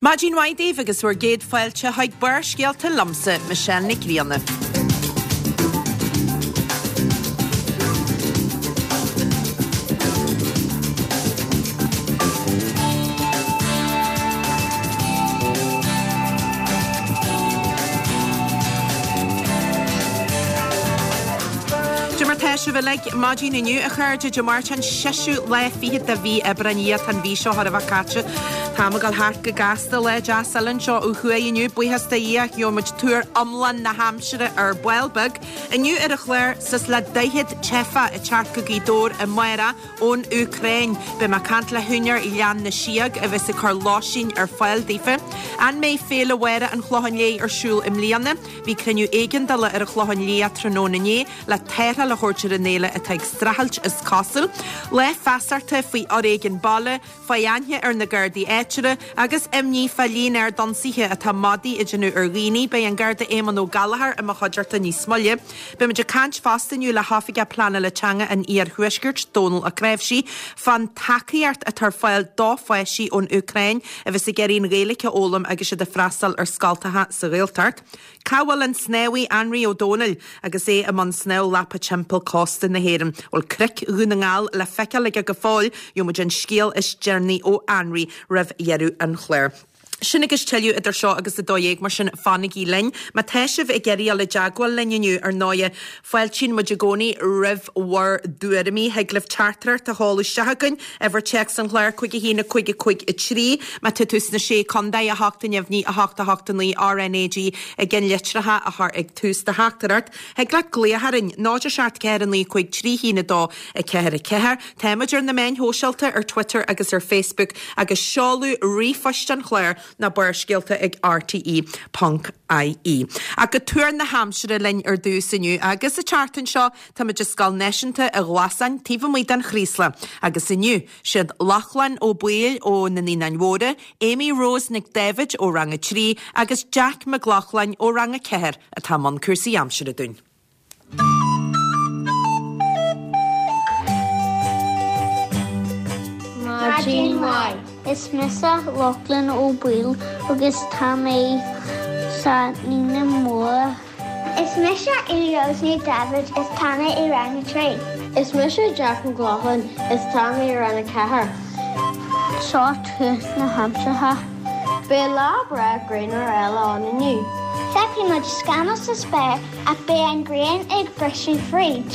Maidin mhaith daoibh agus bhur gcéad fáilte chuig Barrscéalta liomsa, Michelle Nic Grianna. Cad é mar tá sibh uilig maidin inniu, a chairde, Dé Máirt an seisiú lá fichead de mhí Aibreáin. A Dhia, tá an mhí seo chóir a bheith caite. Tá an t-am ag dul thart go gasta. Lá deas eile anseo ó thuaidh inniu, buíochas do Dhia, gheobhaidh muid tuar iomlán na haimsire ar ball beag. Inniu ar an chlár, suas le 40 teifeach ag teacht go Gaoth Dobhair amárach ón Úcráin. Beidh mé ag caint le húinéir Ghleann na Síóg a bheas ag cur lóistín ar fáil daofa. An mbeidh Féile Mháire an Chlocháin Léith ar siúl i mbliana? Bhí cruinniú éigeandála ar an Chlochán Liath tráthnóna inné le tarrtháil a thabhairt ar an fhéile atá ag streachailt is cosúil. Lá feasachta faoi fhoréigean baile, fáth aithne ar na Gardaí áitiúla agus imní fá líon ard ionsaithe atá madaí ag déanamh ar dhaoine. Beidh an Garda Éamonn Ó Gallchóir i mo chuideachta níos moille. Beimid ag caint fosta inniu le hOifigeach Pleanála Teanga an Iarthuaiscirt, Dónal Ó Cnáimhsí, fán tacaíocht atá ar fáil do pháistí ón Úcráin a bheas ag iarraidh an Ghaeilge a fhoghlaim agus iad ag freastal ar scoltacha sa Ghaeltacht. Cá bhfuil an snámhaí Anraí Ó Domhnaill agus é i mbun snámh lapa timpeall cósta na hÉireann? Bhfuil cnoic Dhún na nGall le feiceáil aige go fóill? Gheobhaimid an scéal is deireanaí ó Anraí roimh dheireadh an chláir. Sin agus tuilleadh idir seo agus 12:00, mar sin fanaigí linn. Má tá sibh ag iarraidh dul i dteagmháil linn inniu, ar ndóighe, fáiltíonn muid i gcónaí roimh bhur dtuairimí. Thig libh teachtaireacht a sheoladh isteach chugainn, uimhir téacs an chláir, 5 1 5 5 3. Má tá tú sna Sé Contae, 8 neamhní, 8 8 9, RnaG i gceannlitreacha a chur ag tús do theachtaireacht. Thig leat glaoch orainn, 0 7 4 9 5 3 1 2 4 4. Táimid ar na meáin shóisialta, ar Twitter agus ar Facebook, agus seoladh ríomhphoist an chláir ná Barrscéalta ag rte ponc ie. Ach go tuar na haimsire linn ar dtús inniu, agus an tseachtain seo táimid i Scoil Náisiúnta an Ghlasáin taobh amuigh den Chraoslach, agus inniu, siad Lochlainn Ó Baoill ó na Naíonáin Mhóra, Amy Rose Nic Dáibhid ó Rang 3 agus Jack Mac Lochlainn ó Rang 4 atá i mbun cúrsaí aimsire dúinn. Maidin mhaith. Is mise Lochlainn Ó Baoill agus tá mé sa Naíonán Mór. Is mise Amy Rose Ní Daibhid is tá mé i Rang 3. Is mise Jack Mac Lochlainn is tá mé i Rang 4. Seo tuar na haimsire. Beidh lá breá grianmhar eile ann inniu. Feicfidh muid scamaill sa spéir ach beidh an ghrian ag briseadh fríd.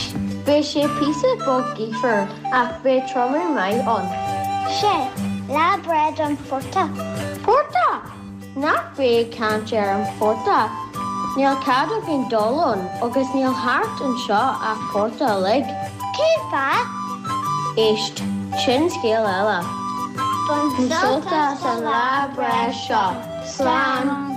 Beidh sé píosa beag gaofar ach beidh triomú maith ann. Sea, lá breá don phortach. Portach! Ná bí ag caint ar an phortach. Níl cead againn dul ann agus níl thart anseo ach portach uilig. Cén fáth? Éist, sin scéal eile. Bain sult as an lá breá seo. Slán!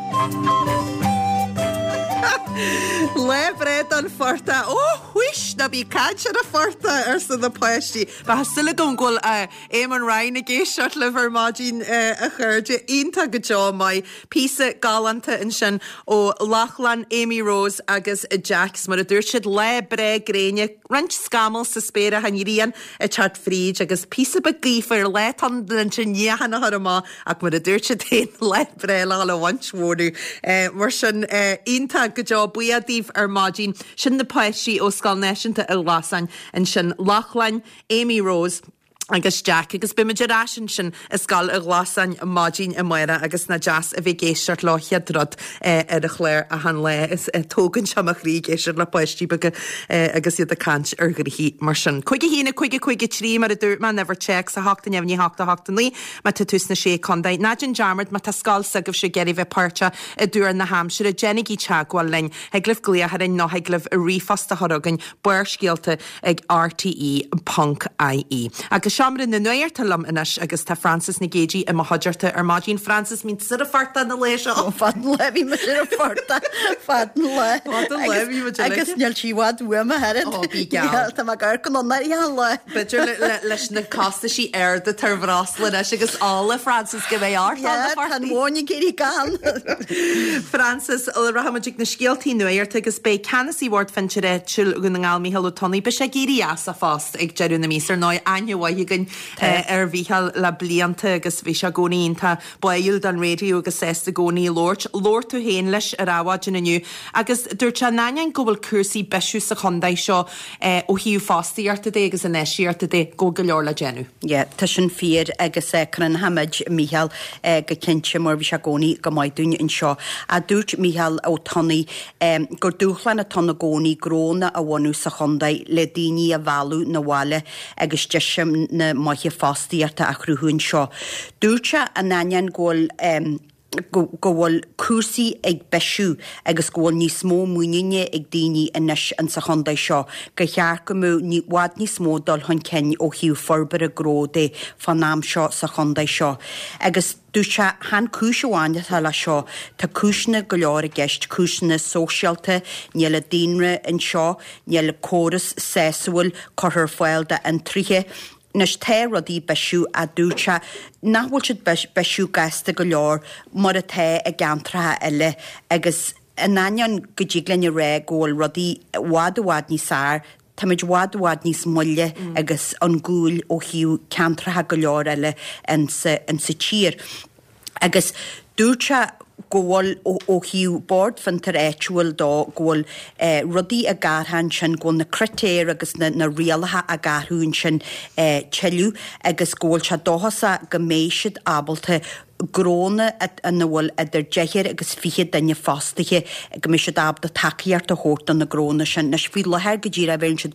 Lá breá don phortach. Ó, whuish! Ná bí ag caint ar an phortach, arsa na páistí. Tá súil agam go bhfuil Éamonn Ryan ag éisteacht libh ar maidin, a chairde. Iontach go deo maith. Píosa galánta ansin ó Lochlainn, Amy Rose agus Jack. 'S mar a dúirt siad, lá breá gréine. Roinnt scamall sa spéir ach an ghrian ag teacht fríd agus píosa beag gaofar, lá atá ann leis an níochán a chur amach ach mar a dúirt siad féin, lá breá le dhul a bhaint mhónadh. Mar sin, iontach go deo, buíoch daoibh ar maidin. Sin na páistí ó Scoil Náisiúnta an Ghlasáin ansin, Lochlainn, Amy Rose, agus Jack agus beimid ar ais ansin i Scoil an Ghlasáin maidin amárach agus nach deas a bheith ag éisteacht leo chéad rud ar an chlár achan lá. Is tógann sé mo chroí ag éisteacht le páistí beaga agus iad ag caint ar ghnoithí mar sin. 5 1 5 5 3 mar a dúirt mé, an uimhir téacs 8 neamhní 8 8 9 má tá tú sna Sé Contae. Ná déan dearmad má tá scoil s'agaibhse ag iarraidh bheith páirteach i dtuar na haimsire, déanaigí teagmháil linn. Thig libh glaoch orainn nó thig libh ríomhphost a chur chugainn, Barrscéalta ag rte ponc ie. Agus Seomra na Nuachta liom anois agus tá Frances Nic Géadaigh i mo chuideachta ar maidin. Frances, bhí tú ar an phortach an lae seo. Fad an lae bhí mise ar an phortach. Fad an lae. Fad an lae bhí muid uilig. Agus níl sí i bhfad uaim ach oiread. Ó, bí geall. Tá mé ag amharc anonn uirthi achan lá. B'fhéidir leis na costaisí arda atá ar bhreosla anois agus ola, Frances, go mbeidh ort Yeah, tá an mhóin ag éirí gann. Frances, rachaidh muid ag na scéaltaí nuachta agus beidh ceannasaí Bhord Fiontair Áitiúil Dhún na nGall, Mícheál Ó Tonnaigh, beidh sé ag éirí as a phost ag deireadh na míosa. Ar ndóigh, aithne mhaith agat. againn ar Mhícheál le blianta agus bhí sé i gcónaí iontach báúil don raidió agus sásta i gcónaí labhairt. Labhair tú féin leis ar Adhmhaidin inniu agus dúirt sé in ainneoin go bhfuil cúrsaí ag bisiú sa chontae seo ó thaobh fostaíochta de agus infheistíochta de, go bhfuil go leor le déanamh. Yeah, tá sin fíor agus cronachaimid Mícheál go cinnte mar bhí sé i gcónaí go maith dúinn anseo. Ach dúirt Mícheál Ó Tonnaigh gur dúshlán atá ann i gcónaí gnónna a bhunú sa chontae le daoine a mhealladh 'na bhaile agus deiseanna maithe fostaíochta a chruthú anseo. Dúirt sé in ainneoin go bhfuil go bhfuil cúrsaí ag bisiú agus go bhfuil níos mó muiníne ag daoine anois insa chontae seo, gur cheart go mbeadh i bhfad níos mó dul chun cinn ó thaobh forbartha gnó de fán am seo sa chontae seo. Agus dúirt sé, chan cúis amháin atá leis seo, tá cúiseanna go leor i gceist, cúiseanna sóisialta, níl an daonra anseo, níl córas sásúil curtha ar fáil d'fhiontraithe, Anois tá rudaí ag bisiú ach dúirt sé nach bhfuil siad bisiú gasta go leor mar atá i gceantracha eile agus in ainneoin go dtig linn a rá go bhfuil rudaí i bhfad i bhfad níos fearr, táimid i bhfad i bhfad níos moille agus chun cúil ó thaobh ceantracha go leor eile insa tír. Agus dúirt sé go bhfuil, ó thaobh Bord Fiontair Áitiúil dó, go bhfuil rudaí ag athrú ansin, go bhfuil na critéir agus na rialacha ag athrú ansin tuilleadh agus go bhfuil sé dóchasach go mbeidh siad ábalta gnónna ina bhfuil idir deichniúr agus 20 duine fostaithe, go mbeidh siad ábalta tacaíocht a thabhairt do na gnónna sin. Anois faoi láthair go díreach bheireann siad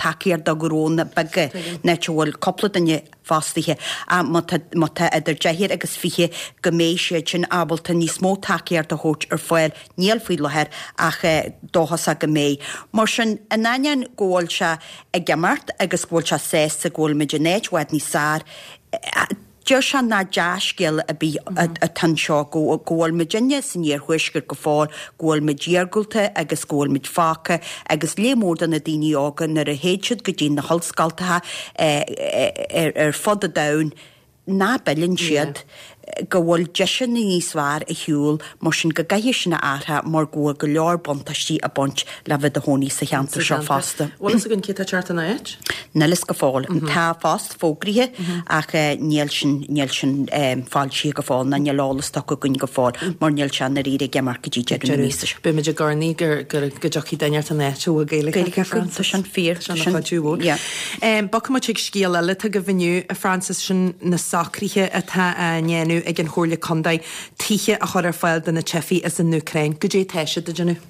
tacaíocht do ghnónna beaga, in áit a bhfuil cúpla duine fostaithe. Ach má tá, má tá idir deichniúr agus 20, go mbeidh siad sin ábalta níos mó tacaíocht a thabhairt ar fáil, níl faoi láthair ach dóchasach go mbeidh. Mar sin, in ainneoin go bhfuil sé ag imeacht agus go bhfuil sé sásta go bhfuil muid in áit i bhfad níos fearr, deir sé nach dea-scéala ar bith atá anseo, go bhfuil muidinne san iarthuaisceart go fóill, go bhfuil muid iargúlta agus go bhfuil muid fágtha agus lear mór de na daoine óga nuair a théid siad go dtí na hollscoltacha ar fud an domhain nach bpilleann siad, go bhfuil deiseanna níos fearr ar shiúl mar sin go gcaithfidh sin a athrú mar go bhfuil go leor buntáistí ag baint le bheith i do chónaí sa cheantar seo fosta. Bhfuil fhios againn cé atá ag teacht ina áit? Níl fhios go fóill. Tá post fógraithe ach níl sin, níl sin foilsithe go fóill ná níl eolas tugtha againn go fóill mar níl sé i ndáiríre ag imeacht go dtí deireadh na míosa seo. Beidh muid ag urnaí go dtiocfaidh duine inteacht ina áit a bhfuil Gaeilge acu, Frances. Tá sin fíor. Tá sin ina chuidiú mhór. Yeah. Bogfaidh muid chuig scéal eile atá agaibh inniu, a Frances, sin na socruithe atá á ndéanamh ag an Chomhairle Contae tithe a chur ar fáil do na teifigh as an Úcráin. Goidé atá siad ag déanamh?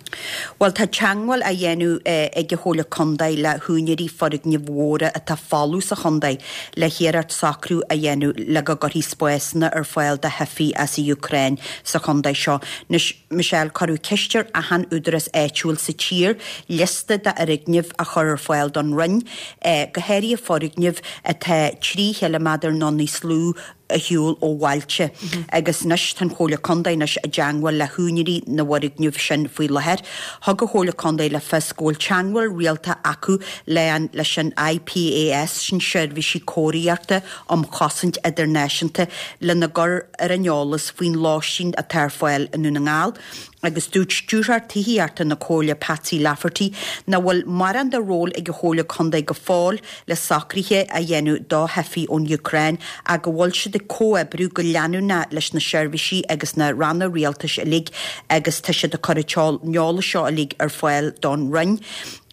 Bhuel, tá teagmháil á dhéanamh ag an Chomhairle Contae le húinéirí foirgnimh mhóra atá folamh sa chontae le hiarracht socrú a dhéanamh le go gcuirfí spásanna ar fáil do theifigh as an Úcráin sa chontae seo. Anois, Michelle, cuireadh ceist ar achan údarás áitiúil sa tír liosta d'fhoirgnimh a chur ar fáil don Roinn, go háirithe foirgnimh atá 3 chiliméadar nó níos lú ar shiúl ó bhailte agus anois tá an Chomhairle Contae anois i dteangmháil le húinéirí na bhfoirgneamh sin faoi láthair. Thug an Chomhairle Contae le fios go bhfuil teangmháil rialta acu le an leis an IPAS, sin Seirbhísí Cóiríochta um Chosaint Idirnáisiúnta, lena gcur ar an eolas faoin lóistín atá ar fáil i nDún na nGall. Agus dúirt Stiúrthóir Tithíochta na Comhairle Patsy Lafferty nach bhfuil mórán de ról ag an Chomhairle Contae go fóill le socruithe a dhéanamh do theifigh ón Úcráin ach go bhfuil siad ag comhoibriú go leanúnach leis na seirbhísí agus na ranna rialtais uilig agus tá siad ag cur an eolas seo uilig ar fáil don Roinn.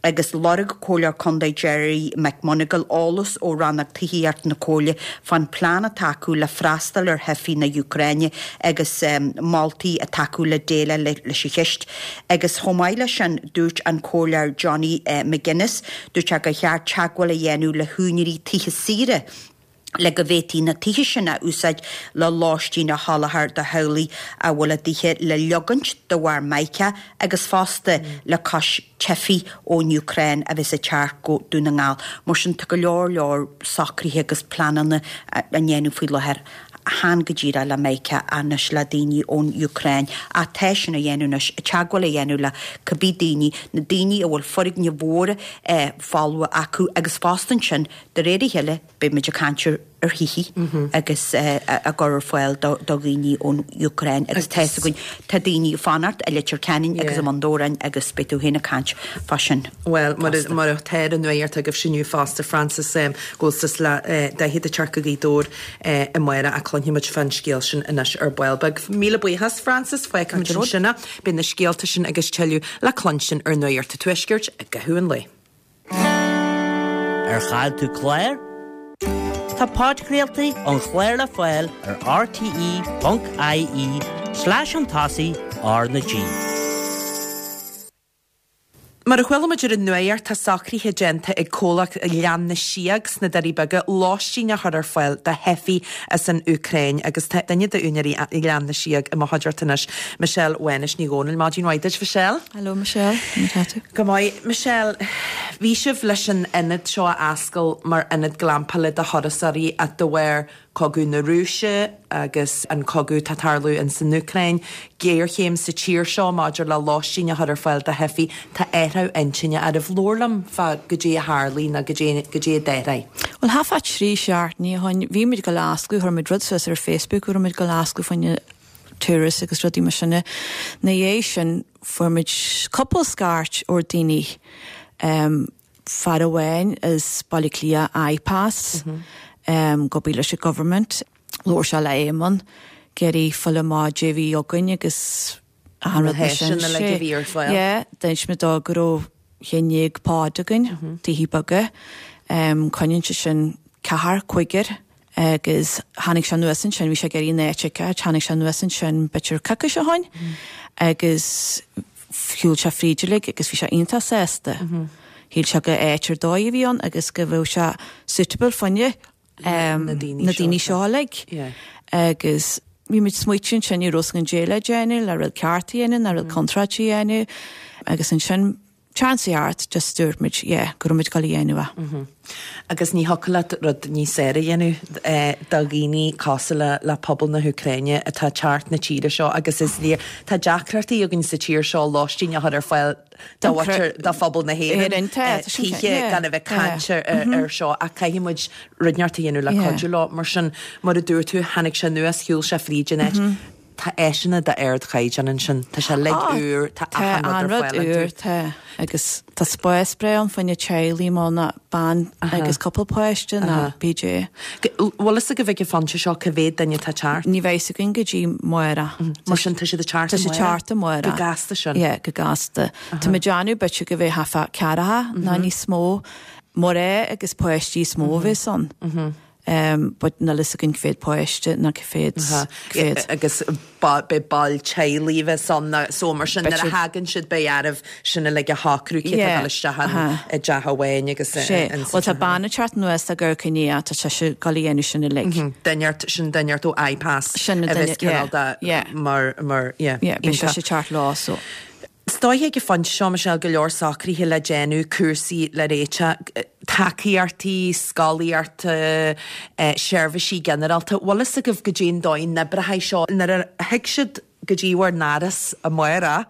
Agus lorg Comhairleoir Contae Gerry McMonagall eolas ó Rannóg Tithíochta na Comhairle fán phlean atá acu le freastal ar theifigh na hÚcráine agus moltaí atá acu le déileáil leis an cheist. Agus chomh maith leis sin, dúirt an Comhairleoir Johnny McGuinness, dúirt sé gur cheart teagmháil a dhéanamh le húinéirí tithe saoire, le go bhféadfaí na tithe sin a úsáid le lóistín a sholáthar do theaghlaigh a bhfuil a dtithe le leogaint de bharr Micah agus fosta le cois teifigh ón Úcráin a bheas ag teacht go Dún na nGall. Mar sin tá go leor leor socruithe agus pleananna á ndéanamh faoi láthair, chan go díreach le Micah anois le daoine ón Úcráin ach tá sin á dhéanamh anois, teagmháil a dhéanamh le cibé daoine, na daoine a bhfuil foirgnimh mhóra folmha acu agus fosta ansin de réir a chéile beidh muid ag caint ar. ar thithe agus á gcur ar fáil do dhaoine ón Úcráin agus tá fhios againn, tá daoine ag fanacht i Leitir Ceanainn agus i mBun Dobhráin agus beidh tú féin ag caint fá sin Bhuel, mar atá ar an nuacht agaibhse inniu fosta, Frances, go bhfuil suas le 40 ag teacht go Gaoth Dobhair amárach ach cluinfidh muid fán scéal sin anois ar ball beag. Míle buíochas, Frances, fágfaidh muid ansin é. Beidh na scéalta sin agus tuilleadh le cluinstin ar Nuacht an Tuaiscirt i gcaitheamh an lae. Ar chaill tú clár? Tá podchraoltaí an chláir le fáil ar rte.ie slash chun tosaigh R na G. Mar a chuala muid ar an nuacht, tá socruithe déanta ag comhlacht Ghleann na Síóg sna Doirí Beaga lóistín a chur ar fáil do theifigh as an Úcráin agus tá duine d'úinéirí Ghleann na Síóg i mo chuideachta anois, Michelle Mhánais Ní Dhomhnaill. Maidin mhaith duit, Michelle. Hello Michelle, conas tá tú? Go maith. Michelle, bhí sibh leis an ionad seo a oscail mar ionad glampála do thurasóirí ach de bharr cogadh na Rúise agus an cogadh atá ag tarlú in san Úcráin, géarchéim sa tír seo maidir le lóistín a chur ar fáil do theifigh, tá athrú intinne oraibh. Labhair liom fá goidé a tharlaigh nó goidé goidé a d'athraigh. Bhuel, thart fá trí seachtainí ó shoin, bhí muid ag dul a osclú, chuir muid rud suas ar Facebook go raibh muid ag dul a osclú fá choinne tourists agus rudaí mar sin. Na dhiaidh sin fuair muid cúpla scairt ó daoine, fear amháin as Baile Átha Cliath, IPAS, ag obair leis an government, labhair sé le Éamonn, ag iarraidh fáil amach goidé a bhí againn agus achan rud mar sin. Na háiseanna uilig a bhí ar fáil. Yeah, d'inis muid dó go raibh 11 pod againn, tithe beaga, coinníonn sé sin ceathrar, cúigear agus tháinig sé anuas ansin, bhí sé ag iarraidh an áit a fheiceáil, tháinig sé anuas ansin b'fhéidir coicís ó shoin agus shiúil sé fríd uilig agus bhí sé iontach sásta. Shíl sé gur áit ar dóigh a bhí ann agus go bheadh sé suitable fá choinne na daoine seo uilig. Agus bhí muid smaoitiú ansin, ní raibh fhios againn goidé le déanamh, le rud ceart a dhéanamh nó rud contráilte a dhéanamh agus ansin Seans art, just dúirt muid, yeah, go raibh muid ag dul a dhéanamh é. Agus ní thiocfadh leat rud níos fearr a dhéanamh do dhaoine cosúil le le pobal na hÚcráine atá ag teacht na tíre seo agus is léir, tá deacrachtaí againn sa tír seo lóistín a chur ar fáil do mhuintir, do phobal na hÉireann, tithe gan a bheith ag caint ar seo ach caithfidh muid rud inteacht a dhéanamh le cuidiú leo. Mar sin, mar a dúirt tú, tháinig sé anuas, shiúil sé fríd an áit. Tá áiseanna d'ardchaighdeán ansin. Tá sé uilig úr, tá achan rud ar fáil iontu. Tá an rud úr, tá. Agus tá spás breá ann fá choinne teaghlaigh má ná bean agus cúpla páiste ná PJ. Bhfuil fhios agaibh ag an phointe seo cá mhéad duine atá ag teacht? Ní bheidh fhios againn go dtí amárach. Mar sin tá siad ag teacht amárach? Tá siad ag teacht amárach. Go gasta sin? Yeah, go gasta. Tá muid ag déanamh b'fhéidir go bheidh thart fá ceathracha ná níos mó. Mná agus páistí is mó a bheas ann. But níl fhios againn cá mhéad páiste ná cá mhéad, cá mhéad. Agus beidh baill teaghlaigh a bheas ann so mar sin nuair a thagann siad beidh oraibh sin uilig a shocrú cé atá ag dul isteach i dteach amháin agus in sa Bhuel tá bean ag teacht anuas ag amharc i ndiaidh tá sise ag dul a dhéanamh sin uilig. Duine inteacht, sin duine inteacht ó IPAS a bheas cineál de mar, mar, yeah. Yeah, beidh sise ag teacht leo so. Is dóiche ag an phointe seo, Michelle, go leor socruithe le déanamh, cúrsaí le réiteach, tacaíochtaí, scolaíochta, seirbhísí ginearálta. Bhfuil fhios agaibh goidé an dóigh a n-oibreoidh seo nuair a thig siad go dtí bhur n-áras amárach,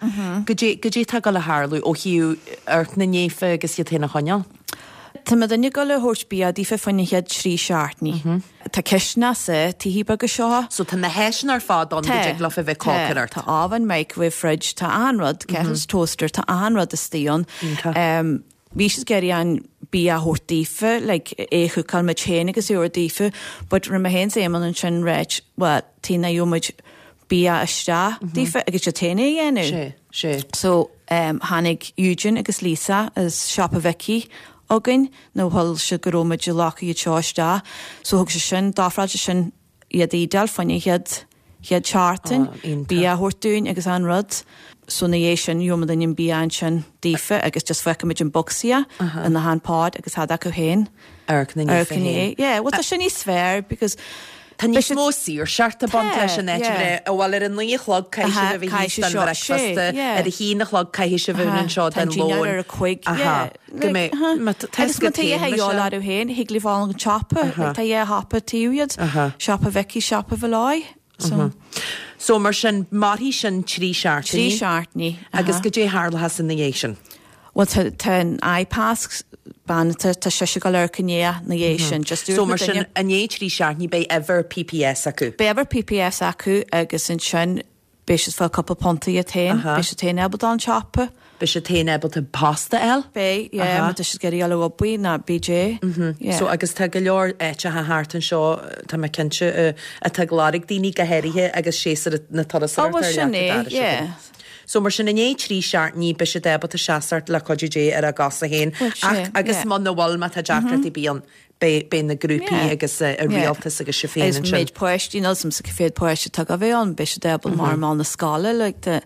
goidé, goidé atá ag dul a tharlú ó thaobh amharc na ndaofa agus iad féin a choinneáil? Tá muidinne ag dul a thabhairt bia daofa fá choinne an chéad trí seachtainí. Tá cistineach sa tithe beaga seo. So tá na háiseanna ar fad ann go dtig leofa bheith ag cócaireacht. Tá oven, microwave, fridge, tá achan rud, kettles, toaster, tá achan rud istigh ann. Iontach. Bhí siad ag iarraidh an bia a thabhairt daofa, like é a chookáil muid féin agus é a thabhairt daofa, but rinne mé féin 's Éamonn ansin ráit, well, taobh nach gheobhaidh muid bia isteach daofa agus iad féin é a dhéanamh. Sé, sé. So tháinig Eugene agus Lisa as siopa Mhicí againn nó chuala siad go raibh muid ag glacadh iad seo isteach so thug sé sin, d'ofráil sé sin iad a éadáil fá choinne an chéad, chéad seachtain, bia a thabhairt dúinn agus an rud. So ina dhiaidh sin gheobhaidh muidinne an bia ansin daofa agus just fágfaidh muid an bocsaí in achan pod agus tháid acu féin. Amharc na ndaofa féin. Yeah, well tá sin níos fearr because Tá níos mó saoirseachta ag baint leis an áit a bheith, bhuel ar a naoi a chlog caithfidh sibh a bheith thíos don bhricfeasta, ar a haon a chlog caithfidh sibh a bheith anseo don lón. Ar a cuig, yeah. Go mbeidh, má tá Agus má tá a dhath a dhíobháil orthu féin, thig libh fáil an tsiopa, tá dhá shiopa taobh iad, siopa Mhicí, siopa Mholloy, so. So mar sin, mairfidh sin trí seachtainí. Trí seachtainí. Agus goidé tharlóchas ina dhiaidh sin? Bhuel tá tá an iPass bean tá tá sise ag dul amharc i ndiaidh na dhiaidh sin just So mar sin i ndiaidh 3 seachtainí beidh uimhir PPS acu. Beidh uimhir PPS acu agus ansin beidh siad fáil cúpla punt iad féin, beidh siad féin ábalta dul an siopa. Beidh siad féin ábalta post a fháil. Beidh, yeah, má tá siad ag iarraidh dul ag obair ná BJ, yeah. So agus tá go leor áiteacha thart anseo, tá mé cinnte, atá ag lorg daoine go háirithe agus séasúr na turasóireachta ar leac an dorais againn. So mar sin i ndiaidh 3 seachtainí beidh siad ábalta seasamh le cuidiú Dé ar a gcosa féin ach agus muna bhfuil má tá deacrachtaí ar bith ann beidh beidh na grúpaí agus an rialtas agus sibh féin ansin. Agus méid páistí níl 's a'msa cé mhéad páiste atá ag bheith ann beidh siad ábalta mar mar na scoile like the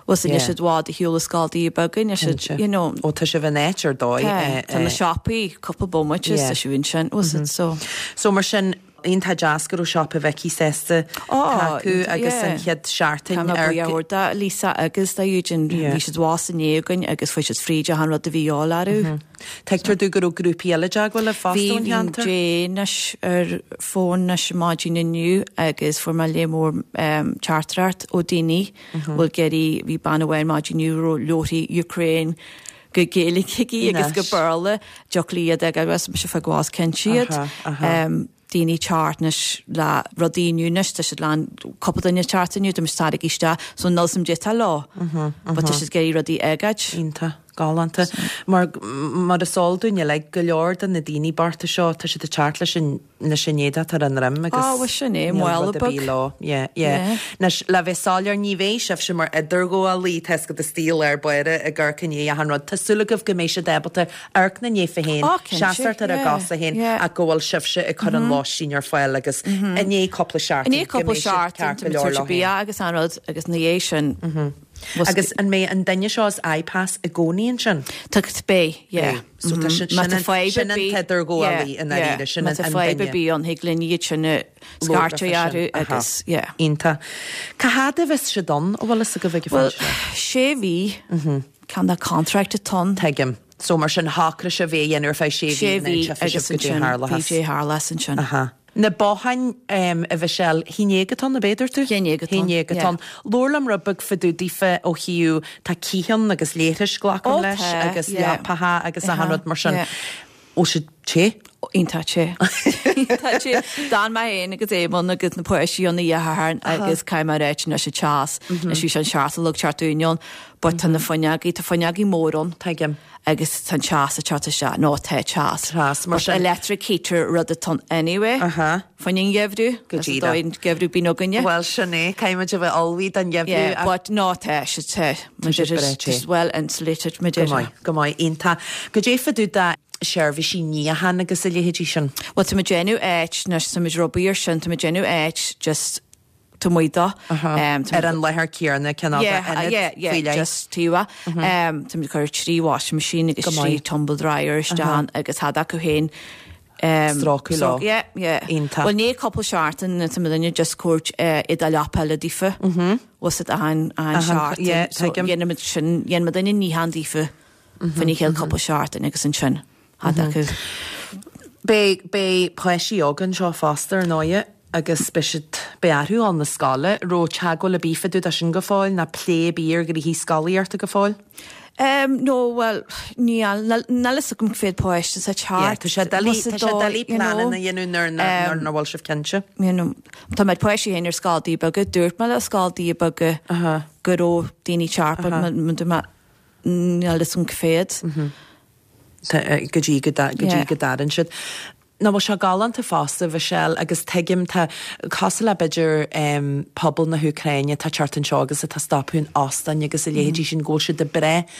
bhfuil níl siad i bhfad ar shiúl ó scoil daoine beaga níl siad you know. Ó tá sibh in áit ar dóigh. Tá tá na siopaí cúpla bomaite is tá sibh ansin bhfuil so. So mar sin Iontach deas go raibh Siopa Mhicí sásta tacú agus an chéad seachtain Tá mé buíoch mór do Lisa agus do Eugene. Bhí siad abhus inné againn agus fuair siad fríd achan rud a bhí de dhíobháil orthu. Tuigtear domh go raibh grúpaí eile i dteagmháil libh fosta ón cheantar. Bhí Jane anois ar fón anois maidin inniu agus fuair mé lear mór teachtaireacht ó daoine bhfuil ag iarraidh, bhí bean amháin maidin inniu a raibh leabharthaí Ukraine go Gaeilge aici agus go Béarla, dtiocfadh léi iad a fháil agus mise fá gcás cinnte iad. Daoine teacht anois le rudaí inniu anois, tá siad lán, cúpla duine teacht inniu, tá muid tarraingthe isteach, so níl 's a'm caidé atá leo. But tá siad ag iarraidh rudaí a fhágáil. Iontach. Galánta. Mar, mar is eol dúinn uilig, go leor de na daoine bochta seo, tá siad ag teacht leis an leis an éadach atá ar a ndroim agus Á, bhuel sin é, mála beag. Níl rud ar bith leo. Yeah, yeah. Anois, le bheith soiléir, ní bheidh sibhse mar idirghabhálaí, tá 'fhios agat istigh i lár báire ag amharc i ndiaidh achan rud. Tá súil agaibh go mbeidh siad ábalta amharc ina ndiaidh féin, Á, cinnte, seasamh ar a yeah, gcosa féin yeah. ach go bhfuil sibhse ag cur an lóistín ar fáil agus i ndiaidh cúpla I seachtain ndiaidh go cúpla mbeidh siad seachtain, ceart tá go muid leor tabhairt leo féin. bia agus an rud agus ina dhiaidh sin, Agus an mbeidh an duine seo as iPass i gcónaí ansin? Tá, beidh, yeah. Beidh. So tá sin, Má sin tá an, fadhb ar sin an bith, t-idirghabhálaí yeah, i ndáiríre, yeah. sin Má an, tá an fadhb ar duine. bith ann, thig linn iad sin a scairteadh orthu agus, yeah. Iontach. Cá fhad a bheas siad ann, an bhfuil fhios agaibh ag an Bhuel, phointe seo? sé mhí, cineál de contract atá ann. Tuigim. So mar sin shocraigh sibh é a dhéanamh ar feadh sé mhí Sé and mhí then tchífidh agus sibh goidé ansin, tharlóchas. goidé tharlós ansin. Aha. Na botháin, a Mhichelle, haon déag atá ann, ab é a dúirt tú? Haon déag atá ann, Haon déag atá yeah. ann. Labhair liom rud beag fá dtaobh daofa ó thaobh, tá cith ann agus leithris, glacaim Ó leis, tá, agus yeah. leapacha agus achan Aha, rud mar sin. yeah. Bhfuil siad te? Iontach te. Iontach te. D'fhan mé féin agus Éamonn agus na páistí ann oíche Shathairn agus caithfidh mé a ráit anois an teas, anois bhí sé an seacht a chlog teacht dúinn ann, but tá na fuinneogaí, tá fuinneogaí mór ann. Tuigim. Agus tá an teas ag teacht isteach, nó tá teas. Teas, mar But sin. electric heater rud atá ann anyway. Aha. Fá choinne an gheimhreadh. Go Is an díreach. dóigh an geimhreadh bíonn againne. Bhuel, sin é, caithfidh muid a bheith ullmhaithe don gheimhreadh. Yeah, but no, tá sé te. Tá sé breá te. Just well insulated, mar Go déarfá. maith, go maith, iontach. Goidé fá dtaobh de seirbhísí níocháin agus a leithéidí sin. Bhuel, tá muid ag déanamh áit, anois tá muid ag obair ar sin, tá muid ag déanamh áit just taobh amuigh dó. Ar an láthair céanna, cineál de ionad faoi leith. Just taobh. Tá muid ag cur 3 washing machine agus 3 tumble dryer isteach agus thad acu féin. Strócadh leo. Yeah, yeah. Iontach. Bhuel, ní cúpla seachtain tá muid duine just cuairt éadaí leapa eile daofa. Was it achan seachtain. Yeah, tuigim. Dhéanfaimid sin, dhéanfaimid duine níochán daofa. Fá choinne chéad cúpla seachtain agus ansin. Thad acu. Beidh, beidh páistí óga anseo fosta, ar ndóighe, agus beidh siad, beidh orthu dhul na scoile. Raibh teagmháil ar bith fá dtaobh de sin go fóill, ná plé ar bith ar ghnoithí scolaíochta go fóill? Em, no, bhuel, níl, níl, níl fhios agam cé mhéad páiste atá ag teacht. Yeah, tá sé doiligh, tá sé doiligh pleananna a dhéanamh nuair, nuair nach bhfuil sibh cinnte. You know, tá mé páistí féin ar scoil beaga, dúirt mé le scoil beaga go raibh daoine ag teacht, but dúirt mé, níl fhios agam cé mhéad. Go dtí go dtí go dtarann siad. Nach bhfuil sé galánta fosta, Mhichelle, agus tuigim, tá, cosúil le b'fhéidir pobal na hÚcráine atá ag teacht anseo agus atá ag stopadh in óstáin agus a leithéidí sin, go bhfuil siad ag brath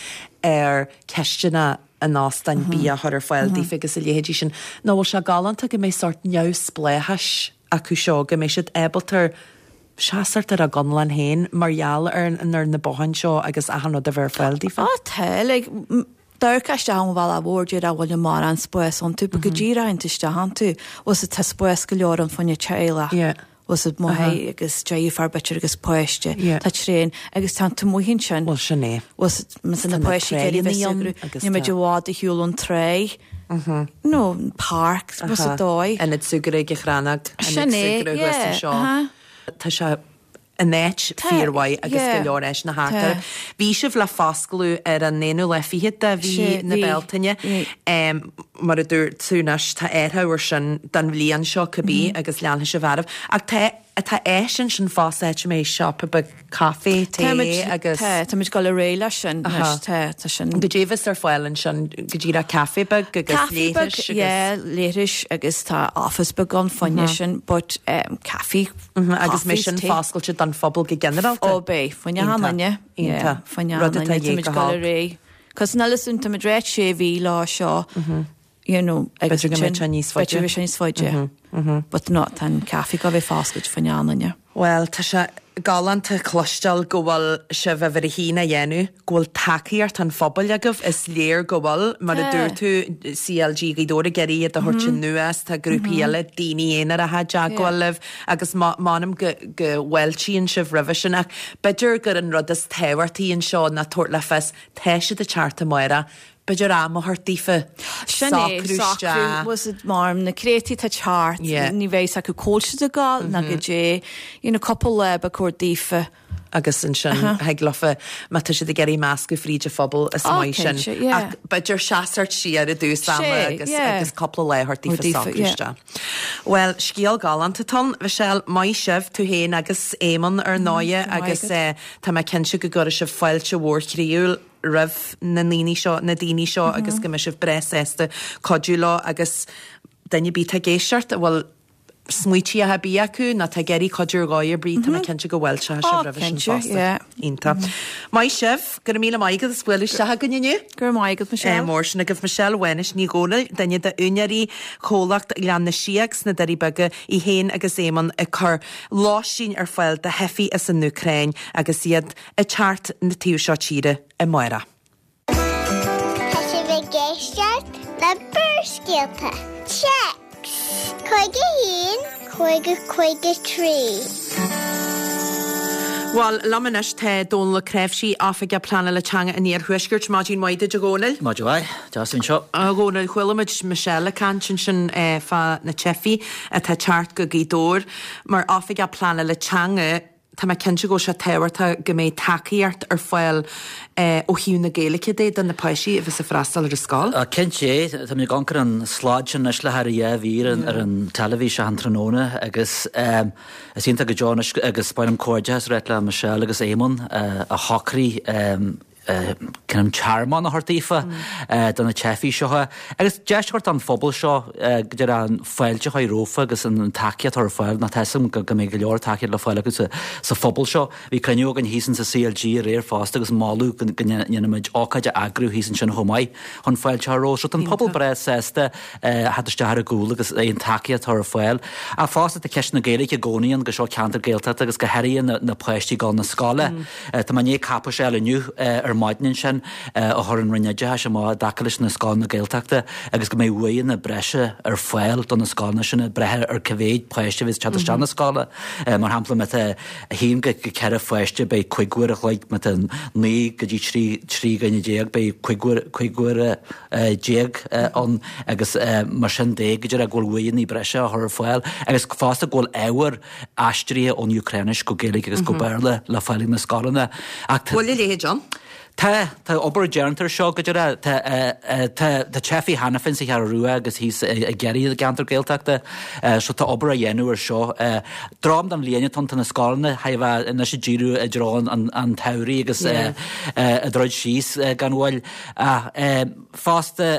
ar chistineacha an óstáin, bia a chur ar fáil daofa agus a leithéidí sin. Nach bhfuil sé galánta go mbeidh sórt neamhspleáchais acu seo, go mbeidh siad ábalta seasamh ar a gconlán féin mar gheall ar ar na botháin seo agus achan rud a bheith ar fáil daofa? Á tá, like, d'amharcfá isteach ón bhealach mhór déarfá bhfuil an mórán spás iontu, but go díreach théann tú isteach iontu, bhfuil 's tá spás go leor ann fá choinne teaghlach, Yeah. bhfuil 's máthair agus deirfiúr b'fhéidir agus páiste, Yeah. tá tréan agus tá tú amuigh ansin. Bhuel sin é. Bhfuil 's má tá na páistí ag iarraidh bheith ag súgradh, níl muid i bhfad ar shiúl ón tráigh, nó an páirc, bhfuil 's dóigh. Ionad súgartha ag an Chrannóg, ionad Sin é, súgartha thuas yeah, anseo. uh-huh. Tá sé. in áit fíormhaith agus go leor áiseanna thart oraibh. Bhí sibh le foscladh ar an aonú lá fichead de mhí na Bealtaine. Mar a dúirt tú anois, tá athrú ar sin don bhliain seo cibé agus leanfaidh sibh oraibh. Ach tá tá áis ansin fosta áit a mbeidh siopa beag caife, tae agus. Tá, táimid ag dul ar aghaidh leis sin anois, tá, tá sin. Goidé a bheas ar fáil ansin, go díreach caife beag agus leithris agus. Caife beag, yeah, leithris agus tá office beag ann fá choinne sin but caife, Agus mbeidh sin foscailte don phobal go ginearálta? Ó beidh, fá choinne achan duine. Iontach. Fá choinne achan duine, táimid ag dul ar aghaidh. Cos níl fhios a'm, táimid ráit sé mhí leo seo, you know, agus B'fhéidir go mbeidh sé níos faide. B'fhéidir go mbeidh sé níos faide. But no, tá an caife ag gabháil a bheith foscailte fá choinne achan duine. Bhuel, tá sé galánta cloisteáil go bhfuil sibh uimhir a haon á dhéanamh, go bhfuil tacaíocht an phobail agaibh, is léir go bhfuil, mar a dúirt tú, CLG Ghaoth Dobhair ag iarraidh iad a thabhairt anuas, tá grúpaí eile, daoine aonaracha i dteagmháil libh agus m'anam go go bhfáiltíonn sibh roimhe sin ach b'fhéidir gur an rud is tábhachtaí anseo ná tabhairt le fios, tá siad ag teacht amárach, B'fhéidir am a thabhairt daofa Sin é, socrú socrú, isteach. was it mar na créataí atá ag teacht, Yeah. ní bheidh fhios acu cá bhfuil siad ag gabháil ná goidé, you know, cúpla lá ba chóir daofa. Agus ansin thig leofa, má tá siad ag iarraidh meascadh fríd an phobal, is Ó, maith sin. cinnte, yeah. Ach b'fhéidir seasamh siar i dtús ama Sé, agus, yeah. agus cúpla lá a thabhairt daofa Daofa, socrú yeah. isteach. Bhuel, scéal galánta atá ann, Michelle, maith sibh, tú féin agus Éamonn ar ndóighe, go raibh maith agus agat. eh, tá mé cinnte go gcuirfidh sibh fáilte mhór chroíúil roimh na ndaoine seo, na daoine seo agus go mbeidh sibh breá sásta cuidiú leo agus duine ar bith atá ag éisteacht a bhfuil smaoití ar bith acu nó atá ag iarraidh cuidiú ar dhóigh ar bith, tá mé cinnte go bhfáilteoidh sibh roimhe sin fosta. Iontach. Maith sibh, go raibh míle maith agat as bualadh isteach againn inniu. Go raibh maith agat, Michelle. Mór sin agaibh Michelle Mhánuis Ní Dhomhnaill, duine d'úinéirí chomhlacht Ghleann na Síóg sna Doirí Beaga, í féin agus Éamonn ag cur lóistín ar fáil do theifigh as an Úcráin agus iad ag teacht na taobh seo tíre amárach. Tá sibh ag éisteacht le Barrscéalta, Téacs 51 50 53. Bhuel, liom anois tá Dónal Ó Cnáimhsí, Oifigeach Pleanála Teanga an Iarthuaiscirt. Maidin mhaith duit, a Dhónaill. Maidin mhaith. Deas anseo. A Dhónaill, chuala muid Michelle ag caint ansin fá na teifigh atá ag teacht go Gaoth Dobhair. Mar Oifigeach Pleanála Teanga, Tá mé cinnte go bhfuil sé tábhachtach go mbeidh tacaíocht ar fáil ó thaobh na Gaeilge de do na páistí a bheas ag freastal ar an scoil. Cinnte, tá mé ag amharc ar an slad sin anois le thar a dhá mhír ar an teilifís achan tráthnóna agus is iontach go deo anois agus ba mhaith liom comhghairdeachas a ráit le Michelle agus Éamonn a shocraigh cineál tearmann a thabhairt daofa, do na teifigh seo, agus deis a thabhairt don phobal seo go deireadh an fáilte a chur rompu agus an tacaíocht a chur ar fáil, nó tá 'fhios agam go mbeidh go leor tacaíocht le fáil acu sa phobal seo. Bhí cruinniú againn thíos insa CLG aréir fosta agus moladh go ndéanfaimid ócáid a eagrú thíos ansin chomh maith chun fáilte a chur rompu. So tá an pobal breá sásta theacht isteach ar a gcúl agus aon tacaíocht a chur ar fáil. Ach fosta tá ceist na Gaeilge i gcónaí ann go seo ceantar Gaeltachta agus go háirithe na páistí ag dul na scoile. Tá mé i ndiaidh cáipéis a fháil inniu ar maidin ansin a chuir an Roinn Oideachais amach i dtaca leis na scoileanna Gaeltachta agus go mbeidh uaigheanna breise ar fáil do na scoileanna sin ag brath ar cá mhéad páiste a bheas ag teacht isteach na scoile. Mar shampla, má tá 1 go 4 pháiste beidh 5 uair a chloig, má tá 9 go dtí 13 dhuine beidh 15 uair ann agus mar sin de go deireadh go bhfuil uaigheanna breise á chur ar fáil agus fosta go bhfuil ábhar aistrithe ón Úcráinis go Gaeilge agus go Béarla le fáil ag na scoileanna. Ach tá. Bhfuil a leithéid ann? Tá, tá obair déanta ar seo go deireadh. Tá, tá, tá teifigh cheana féin sa Cheathrú Rua agus thíos i gCiarraí i gceantar Gaeltachta so tá obair á dhéanamh ar seo. Dream don bhliain atá ann, tá na scoileanna chóir a bheith anois ag díriú i dtreo an, an tsamhraidh agus ag druid síos gan mhoill. Ach fosta,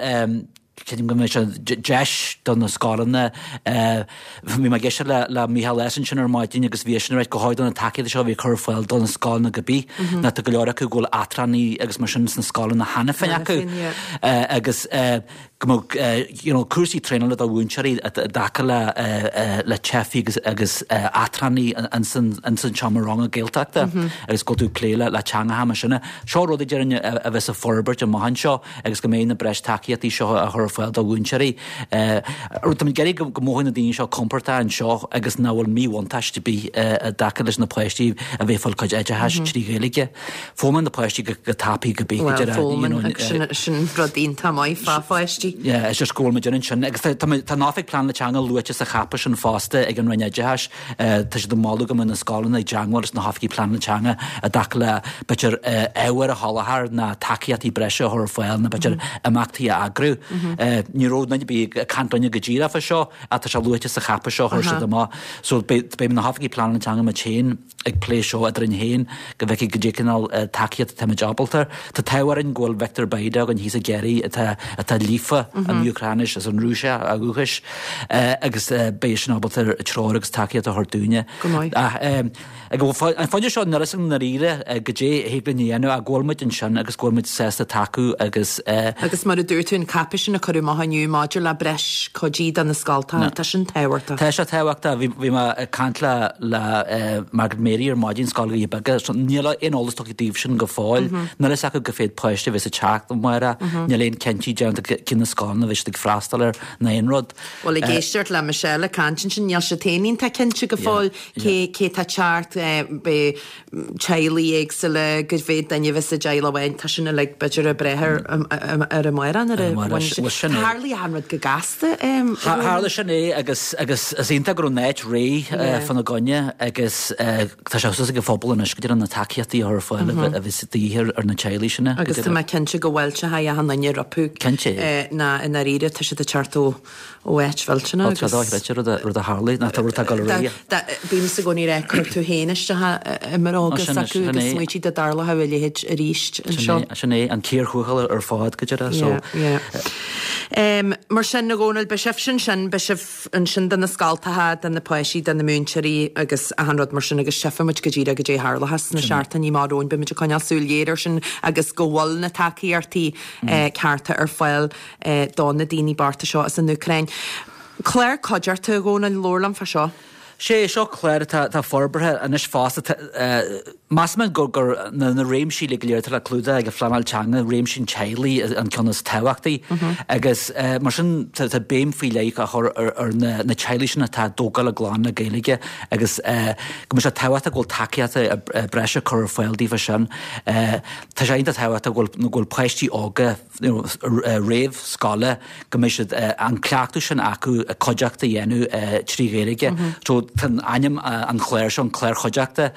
Creidim go mbeidh sé deis do na scoileanna. Bhí mé ag éisteacht le le Mícheál S ansin ar maidin agus bhí eisean ag ráit go háirithe do na tacaíochtaí seo a bhí ag cur ar fáil do na scoileanna go bith ná tá go leor acu go bhfuil eachtránaigh agus mar sin sna scoileanna cheana féin acu agus go mbeadh you know cúrsaí traenála do mhúinteoirí i dtaca le le teifigh agus agus eachtránaigh ins an seomra ranga Gaeltachta agus go bhfuil tú ag plé le le teangacha mar sin. Seo rud a déarfainn a bheas ag forbairt amach anseo. agus go mbeidh na breis tacaíochtaí seo á chur ar. chur ar fáil do mhúinteoirí. Táimid ag iarraidh go mothóidh na daoine seo compordach anseo agus nach bhfuil míbhuntáiste ar bith i dtaca leis na páistí a bheith ag fáil cuid oideachais trí Ghaeilge. Foghlaimeoidh na páistí go tapaidh go bith go deireadh. Bhuel, foghlaimeann agus sin sin rud iontach maith fá pháistí. Yeah, it's just go bhfuil muid ansin agus tá tá an Oifig Pleanála Teanga luaite sa cháipéis sin fosta ag an Roinn Oideachais. Tá siad ag moladh go mbeadh na scoileanna ag teagmháil leis na hoifigí pleanála teanga i dtaca le b'fhéidir ábhair a sholáthar ná tacaíochtaí breise a chur ar fáil nó b'fhéidir imeachtaí a eagrú. Ní raibh duine ar bith ag caint linne go díreach fá seo ach tá sé luaite sa cháipéis seo a chuir siad amach. So beidh beidh na hoifigí pleanála teanga muid féin ag plé seo eadrainn féin go bhfeicfidh goidé cineál tacaíocht atáimid ábalta. Tá an t-ádh orainn go bhfuil Viktor Bayda againn thíos i gCiarraí atá atá líofa an Úcráinis is an Rúisis ó dhúchas agus beidh sin ábalta treoir agus tacaíocht a thabhairt dúinne. Go maith. Ach ag an phointe seo níl a fhios agam i ndáiríre goidé a thig linn a dhéanamh ach go bhfuil muid ansin agus go bhfuil muid sásta tacú agus. Agus mar a dúirt tú, an cáipéis sin a cuireadh amach inniu maidir le breis cuidí do na scoltacha, tá sin tábhachtach. Tá sé tábhachtach. Bhí mé ag caint le le Margaret Mary ar maidin, Scoil Dhoirí Beaga. Níl aon eolas tugtha daoibh sin go fóill. Níl a fhios acu cá mhéad páiste a bheas ag teacht amárach. Níl aon cinntí déanta cé na scoileanna a bheidh siad ag freastal air ná aon rud. Bhuel, ag éisteacht le Michelle ag caint ansin, níl siad féin iontach cinnte go fóill cé cé tá ag teacht. Beidh teaghlaigh éagsúla, cá mhéad duine a bheas i dteaghlach amháin, tá sin uilig b'fhéidir ag brath ar ar amárach nuair a bhain sé. Tharlaigh achan rud go gasta. Tharla sin é agus agus is iontach go raibh an áit réidh fána gcoinne agus tá sé suas ag an phobal anois go dtí na tacaíochtaí a chur ar fáil a bheas de dhíth ar na teaghlaigh sin. Agus tá mé cinnte go bhfáilteoidh achan duine rompu. Cinnte. Ná i ndáiríre tá siad ag teacht ó ó áit mhillteanach agus. Tá dochreidte rud a rud a tharlaigh nach tá rud atá ag dul ar aghaidh. Bímse i gcónaí ag rá cuir tú féin isteach i mbróga s'acu agus smaoitigh dá dtarlódh a leithéid arís anseo. Sin é an cíor thuathail ar fad go deireadh so. Yeah, yeah. Mar sin, a Dhónaill, beidh sibhse ansin, beidh sibh ansin do na scoltacha, do na páistí, do na múinteoirí agus achan rud mar sin agus tchífidh muid go díreach goidé a tharlóchas sna seachtainí amach romhainn, beidh muid ag coinneáil súil ghéar air sin agus go bhfuil na tacaíochtaí cearta ar fáil do na daoine bochta seo as an Úcráin. Clár cuideachta, a Dhónaill, labhair liom fá seo. Sé seo clár atá forbartha anois fosta. Measaim gur gur na na réimsí uilig go léir atá le clúdach ag an phleanáil teanga, réimse an teaghlaigh an ceann is tábhachtaí agus mar sin tá béim faoi leith á chur ar na na teaghlaigh sin atá ag tógáil a gclann le Gaeilge agus go mbeidh sé tábhachtach go bhfuil tacaíocht breise curtha ar fáil daofa sin. Tá sé iontach tábhachtach go bhfuil go bhfuil páistí óga réamhscoile go mbeidh siad an cleachtadh sin acu cuideachta a dhéanamh trí Ghaeilge. So tá ainm an chláir seo an clár chuideachta.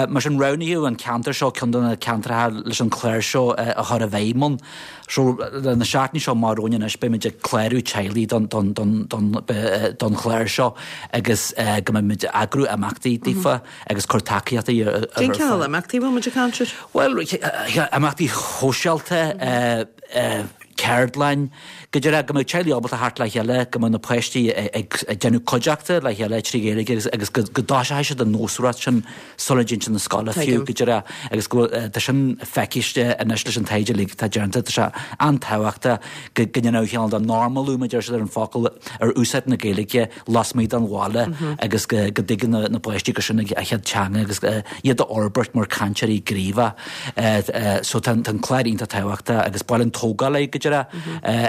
Mar sin roghnaíodh an ceantar seo ceann de na ceantracha leis an chlár seo a chur i bhfeidhm ann. So na seachtainí seo amach romhainn anois beidh muid ag clárú teaghlaigh don don don don don chlár seo agus go mbeidh muid ag eagrú imeachtaí daofa. agus cur tacaíochtaí ar fáil. Cén cineál imeachtaí a bhfuil muid ag caint air? Bhuel, imeachtaí shóisialta, ceardlann, go díreach go mbeadh teaghlaigh ábalta theacht le chéile, go mbeadh na páistí ag déanamh cuideachta le chéile trí Ghaeilge agus agus go dtoiseoidh siad an nósmhaireacht sin sula dtéann siad na scoile fiú, go díreach agus go bhfuil, tá sin feiciste anois leis an taighde uilig atá déanta, tá sé an-tábhachtach go ndéanfadh cineál de normalú, mar a deir siad ar an focal, ar úsáid na Gaeilge lasmuigh den bhaile agus go dtuigeann na páistí gur sin a chéad teanga agus iad a fhorbairt mar cainteoirí gníomhacha. So tá an clár iontach tábhachtach agus ba mhaith linn tógáil air go díreach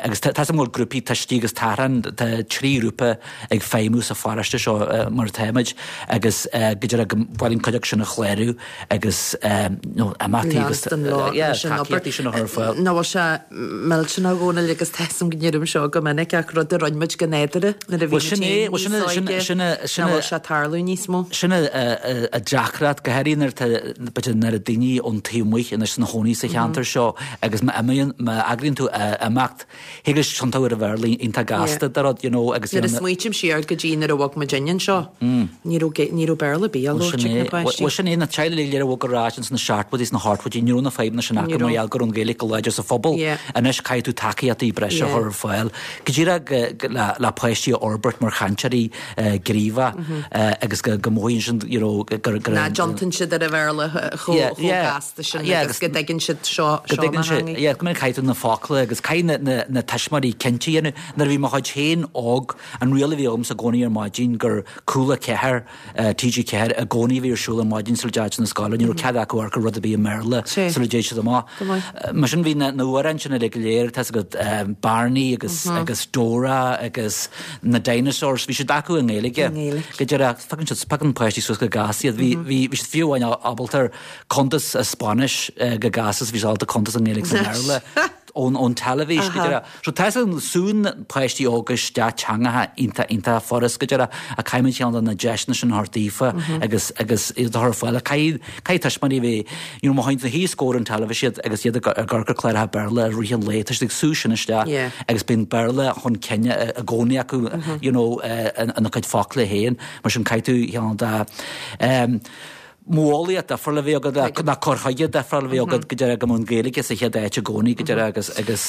agus tá 'fhios a'm go bhfuil grúpaí tuistí agus tachrán, tá 3 ghrúpa ag feidhmiú sa pharóiste seo mar atáimid agus go díreach go ba mhaith linn cuid acu sin a chlárú agus nó imeachtaí agus tacaíochtaí sin a chur ar fáil. Nach bhfuil sé millteanach a Dhónaill agus tá 'fhios a'm go ndeirim seo go minic ach rud a rinne muid go nádúrtha nuair a bhí muid féin níos óige, nach bhfuil sé ag tarlú níos mó. Sin an deacracht, go háirithe nuair atá b'fhéidir nuair atá daoine ón taobh amuigh anois ina chónaí sa cheantar seo agus má imíonn, má eagraíonn tú imeacht, Thig leis tiontú ar an Bhéarla iontach gasta de rud, you know, agus. Nuair a smaoitím siar go dtí nuair a bhog muid anseo, ní raibh, ní raibh Béarla ar bith á labhairt ag na páistí. Bhuel sin é, na teaghlaigh uilig go léir a bhog ar ais ins na seachtóidí is na hochtóidí, ní raibh na fadhbanna sin acu mar gheall go raibh an Ghaeilge go láidir sa phobal. Anois caithfidh tú tacaíochtaí breise a chur ar fáil go díreach le páistí a fhorbairt mar chainteoirí gníomhacha agus go mothaíonn siad, you know, gur. Nach dtiontaíonn siad ar an Bhéarla chomh gasta sin agus go dtuigeann siad seo, seo mo theanga. Yeah, go mbeidh caithfidh tú na focla agus. agus caithfidh na, na, na tuismitheoirí cinnte a dhéanamh. Nuair a bhí mo chuid féin óg, an riail a bhí agamsa i gcónaí ar maidin gur Cúla 4, TG4 i gcónaí a bhí ar siúl ar maidin sula dteachaigh siad na scoile, ní raibh cead acu amharc ar rud ar bith i mBéarla sula dtéid siad amach. Mar sin bhí na hamhráin sin uilig go léir, tá's agat, Barney agus agus Dora agus na Dinosaurs, bhí siad acu i nGaeilge. Go díreach, piocann siad, piocann páistí suas go gasta iad. Bhí bhí bhí siad fiú amháin ábalta ar cuntas i Spáinnis go gasta is bhí siad ábalta cuntas i nGaeilge is i mBéarla ón ón teilifís go díreach. So tá san súnn páistí óga isteach teangacha iontach iontach furast go díreach ach caithfimid ceann de na deiseanna sin a thabhairt daofa agus agus iad a chur ar fáil. Ach caithfidh caithfidh tuismitheoirí a bheith you know má théann tú os comhair an teilifís iad agus iad ag ag amharc ar cláracha Béarla i rith an lae tá siad ag sú sin isteach agus bíonn Béarla chun cinn i i gcónaí acu you know ina cuid focla féin mar sin caithfidh tú ceann de Modheolaíocht difriúil a bheith agat, ná cur chuige difriúil a bheith agat go díreach go mbeadh an Ghaeilge sa chéad áit i gcónaí go díreach agus agus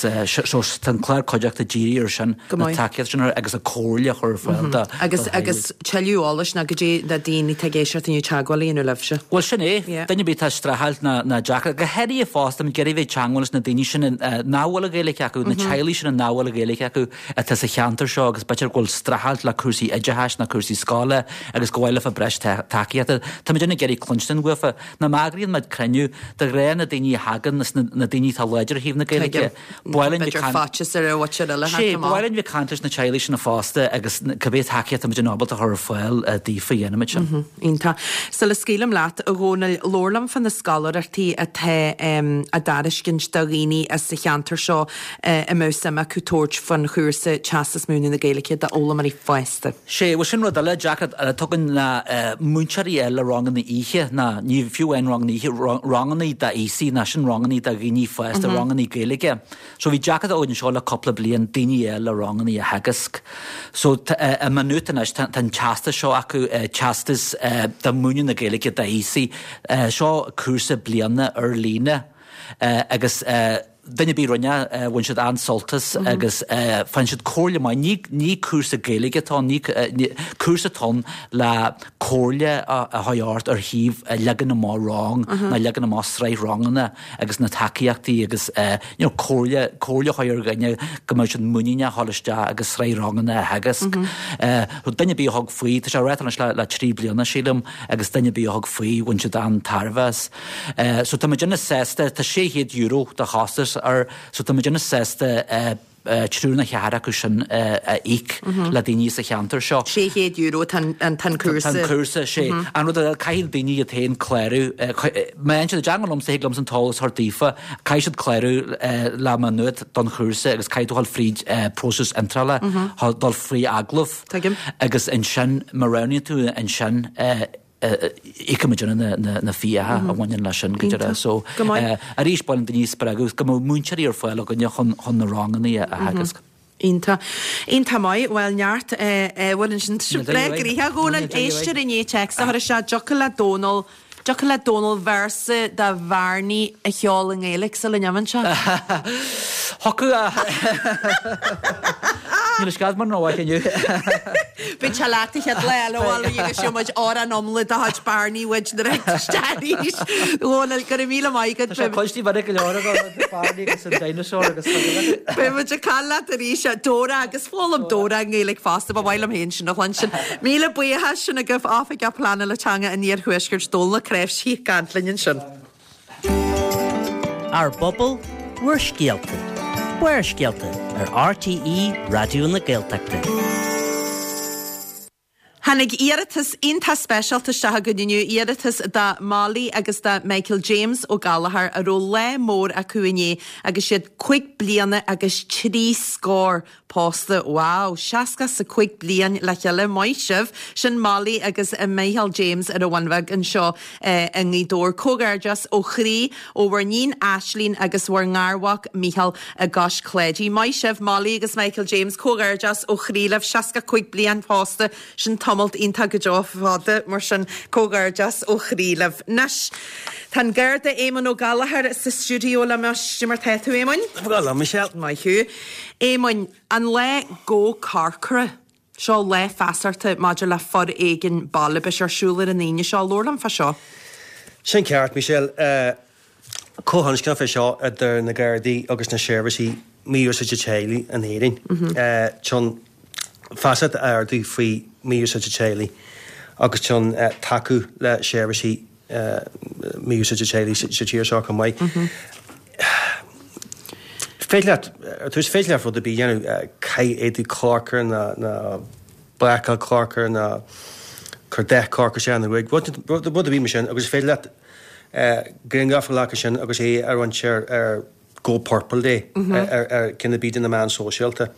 so tá an clár cuideachta dírithe ar sin, na tacaíocht sin agus an comhairle a chur ar fáil do Agus agus tuilleadh eolais ná goidé do daoine atá ag éisteacht inniu teagmháil a dhéanamh libhse. Bhuel sin é, duine ar bith atá ag streachailt ná ná deacair, go háirithe fosta, ag iarraidh bheith ag teagmháil leis na daoine sin nach bhfuil an Ghaeilge acu, na teaghlaigh sin nach bhfuil an Ghaeilge acu. atá sa cheantar seo agus b'fhéidir go bhfuil streachailt le cúrsaí oideachais nó cúrsaí scoile agus gur mhaith leofa breis tacaíochta. Tá muid ag iarraidh cluinstin uafa. Ná má eagraíonn muid cruinniú, de ghnáth na daoine a thagann is na daoine atá láidir ó thaobh na Gaeilge. Ba mhaith linn b'fhéidir faitíos ar an mhuintir eile theacht amach. Sea, ba mhaith linn bheith ag caint leis na teaghlaigh sin fosta agus cibé tacaíocht atá muid ábalta a chur ar fáil daofa dhéanfaimid sin. Iontach. Sula scaoilim leat, a Dhónaill, labhair liom fá na scoláireachtaí atá á dtairiscint do dhaoine as sa cheantar seo a mbeadh suim acu tabhairt faoin chúrsa Teastas Múineadh na Gaeilge d'fhoghlaimeoirí fásta. Sea, bhuel sin rud eile, deacracht eile atá againn ná múinteoirí a fháil le ranganna oíche, ná ní fiú amháin ranganna oíche, ranganna d'aosaigh, ná sin ranganna do dhaoine fásta, ranganna Gaeilge. So bhí deacracht againn anseo le cúpla bliain daoine a fháil le ranganna a theagasc. So i Maigh Nuad anois tá an teastas seo acu, teastas do mhúineadh na Gaeilge d'aosaigh. Seo cúrsa bliana ar líne agus duine ar bith a rinne, bhain siad an-sult as agus faigheann siad comhairle maith. Ní cúrsa Gaeilge atá ann, cúrsa atá ann le comhairle a chur ort ar thaobh leagan amach rang nó leagan amach sraith ranganna agus na tacaíochtaí agus you know comhairle, comhairle a chur ar dhuine go mbeadh siad muiníneach a dhul isteach agus sraith ranganna a theagasc. Duine ar bith a thug faoi, tá sé á reáchtáil anois le 3 bliana sílim agus duine ar bith a thug faoi bhain siad an-tairbhe as. So tá muidinne sásta, tá €600 de chostas air, so tá muidinne sásta triúr nó ceathrar acu sin a íoc le daoine sa cheantar seo. €600 atá an cúrsa. Tá an cúrsa, sé. An rud eile, caithfidh daoine iad féin clárú, má fhaigheann siad i dteagmháil liomsa, thig liomsa an t-eolas a thabhairt daofa, caithfidh siad clárú le Maigh Nuad don chúrsa agus caithfidh tú dhul fríd próiseas iontrála, dul faoi agallamh. Tuigim. Agus ansin, má roghnaíonn tú ansin, íocfaidh muidinne na fiacha a bhaineann leis sin go deireadh. So, arís, ba mhaith linn daoine a spreagadh go mbeadh múinteoirí ar fáil againne chun na ranganna a theagasc. Iontach. Iontach maith. Bhuel, neart ábhair ansin. Tá sibh breá gnoitheach, a Dhónaill. Éisteoir i ndiaidh téacs a chur isteach. Dtiocfadh le Dónal, dtiocfadh le Dónal véarsa de Bharney a cheol i nGaeilge sula n-imíonn sé? Thiocfadh a. Níl a scáth mar ná mhaith inniu. Beidh sé leat an chéad lá eile abhaile agus gheobhaidh muid amhrán iomlán de chuid Barney uait nuair a thig isteach arís. Dhónaill, go raibh míle maith agat. Tá sé cloiste minic go leor agam, Barney agus an dinosaur agus chuile rud. Beidh muid ag caint leat arís, Dora agus foghlaim Dora i nGaeilge fosta, ba mhaith liom féin sin a chluinstin. Míle buíochas sin agaibh, Oifigeach Pleanála Teanga an Iarthuaiscirt, Dónal Ó Cnáimhsí ag caint linn ansin. Ár bpobal, bhur scéalta. Barrscéalta ar RTÉ Raidió na Gaeltachta. Tháinig iarratas iontach speisialta isteach againn inniu, iarratas do Molly agus do Michael James Ó Gallchóir a raibh lá mór acu inné agus iad 5 bliana agus 3 scór Pósta, wow, seasca 's a cuig bliain le chéile, maith sibh! Sin Molly agus Micheál James ar an Bhun Bheag anseo i nGaoth Dobhair. Comhghairdeas ó chroí ó bhur níon Aislín agus bhur ngarmhac Micheál i gCois Cláidí. Maith sibh Molly agus Michael James, comhghairdeas ó chroí libh, 65 bliain pósta, sin tamalt iontach go deo fada, mar sin comhghairdeas ó chroí libh. Anois, tá an Garda Éamonn Ó Gallchóir sa stiúideo liom anois. Cad é mar tá tú, Éamoinn? Go maith, Michelle. Maith thú. Éamoinn, an lá Go Corcra, seo lá feasachta maidir le foréigean baile, beidh sé ar siúl ar an Aoine seo, labhair liom fá seo. Sin ceart, Michelle. Comhthionscnamh é seo idir na Gardaí agus na seirbhísí Mí-Úsáide Teaghlaigh in Éirinn chun feasacht a ardú faoi mí-úsáid teaghlaigh agus chun tacú le seirbhísí mí-úsáide teaghlaigh sa tír seo chomh maith. Féidir leat, ar tús, féidir leat rud ar bith a dhéanamh, caith éadaí corcra nó bácáil corcra nó cuir dath corcra isteach ina ghruaig, rud rud ar bith mar sin agus is féidir leat grianghraf a ghlacadh sin agus é a roinnt ar ar Go Purple Day ar ar ceann ar bith de na meáin sóisialta.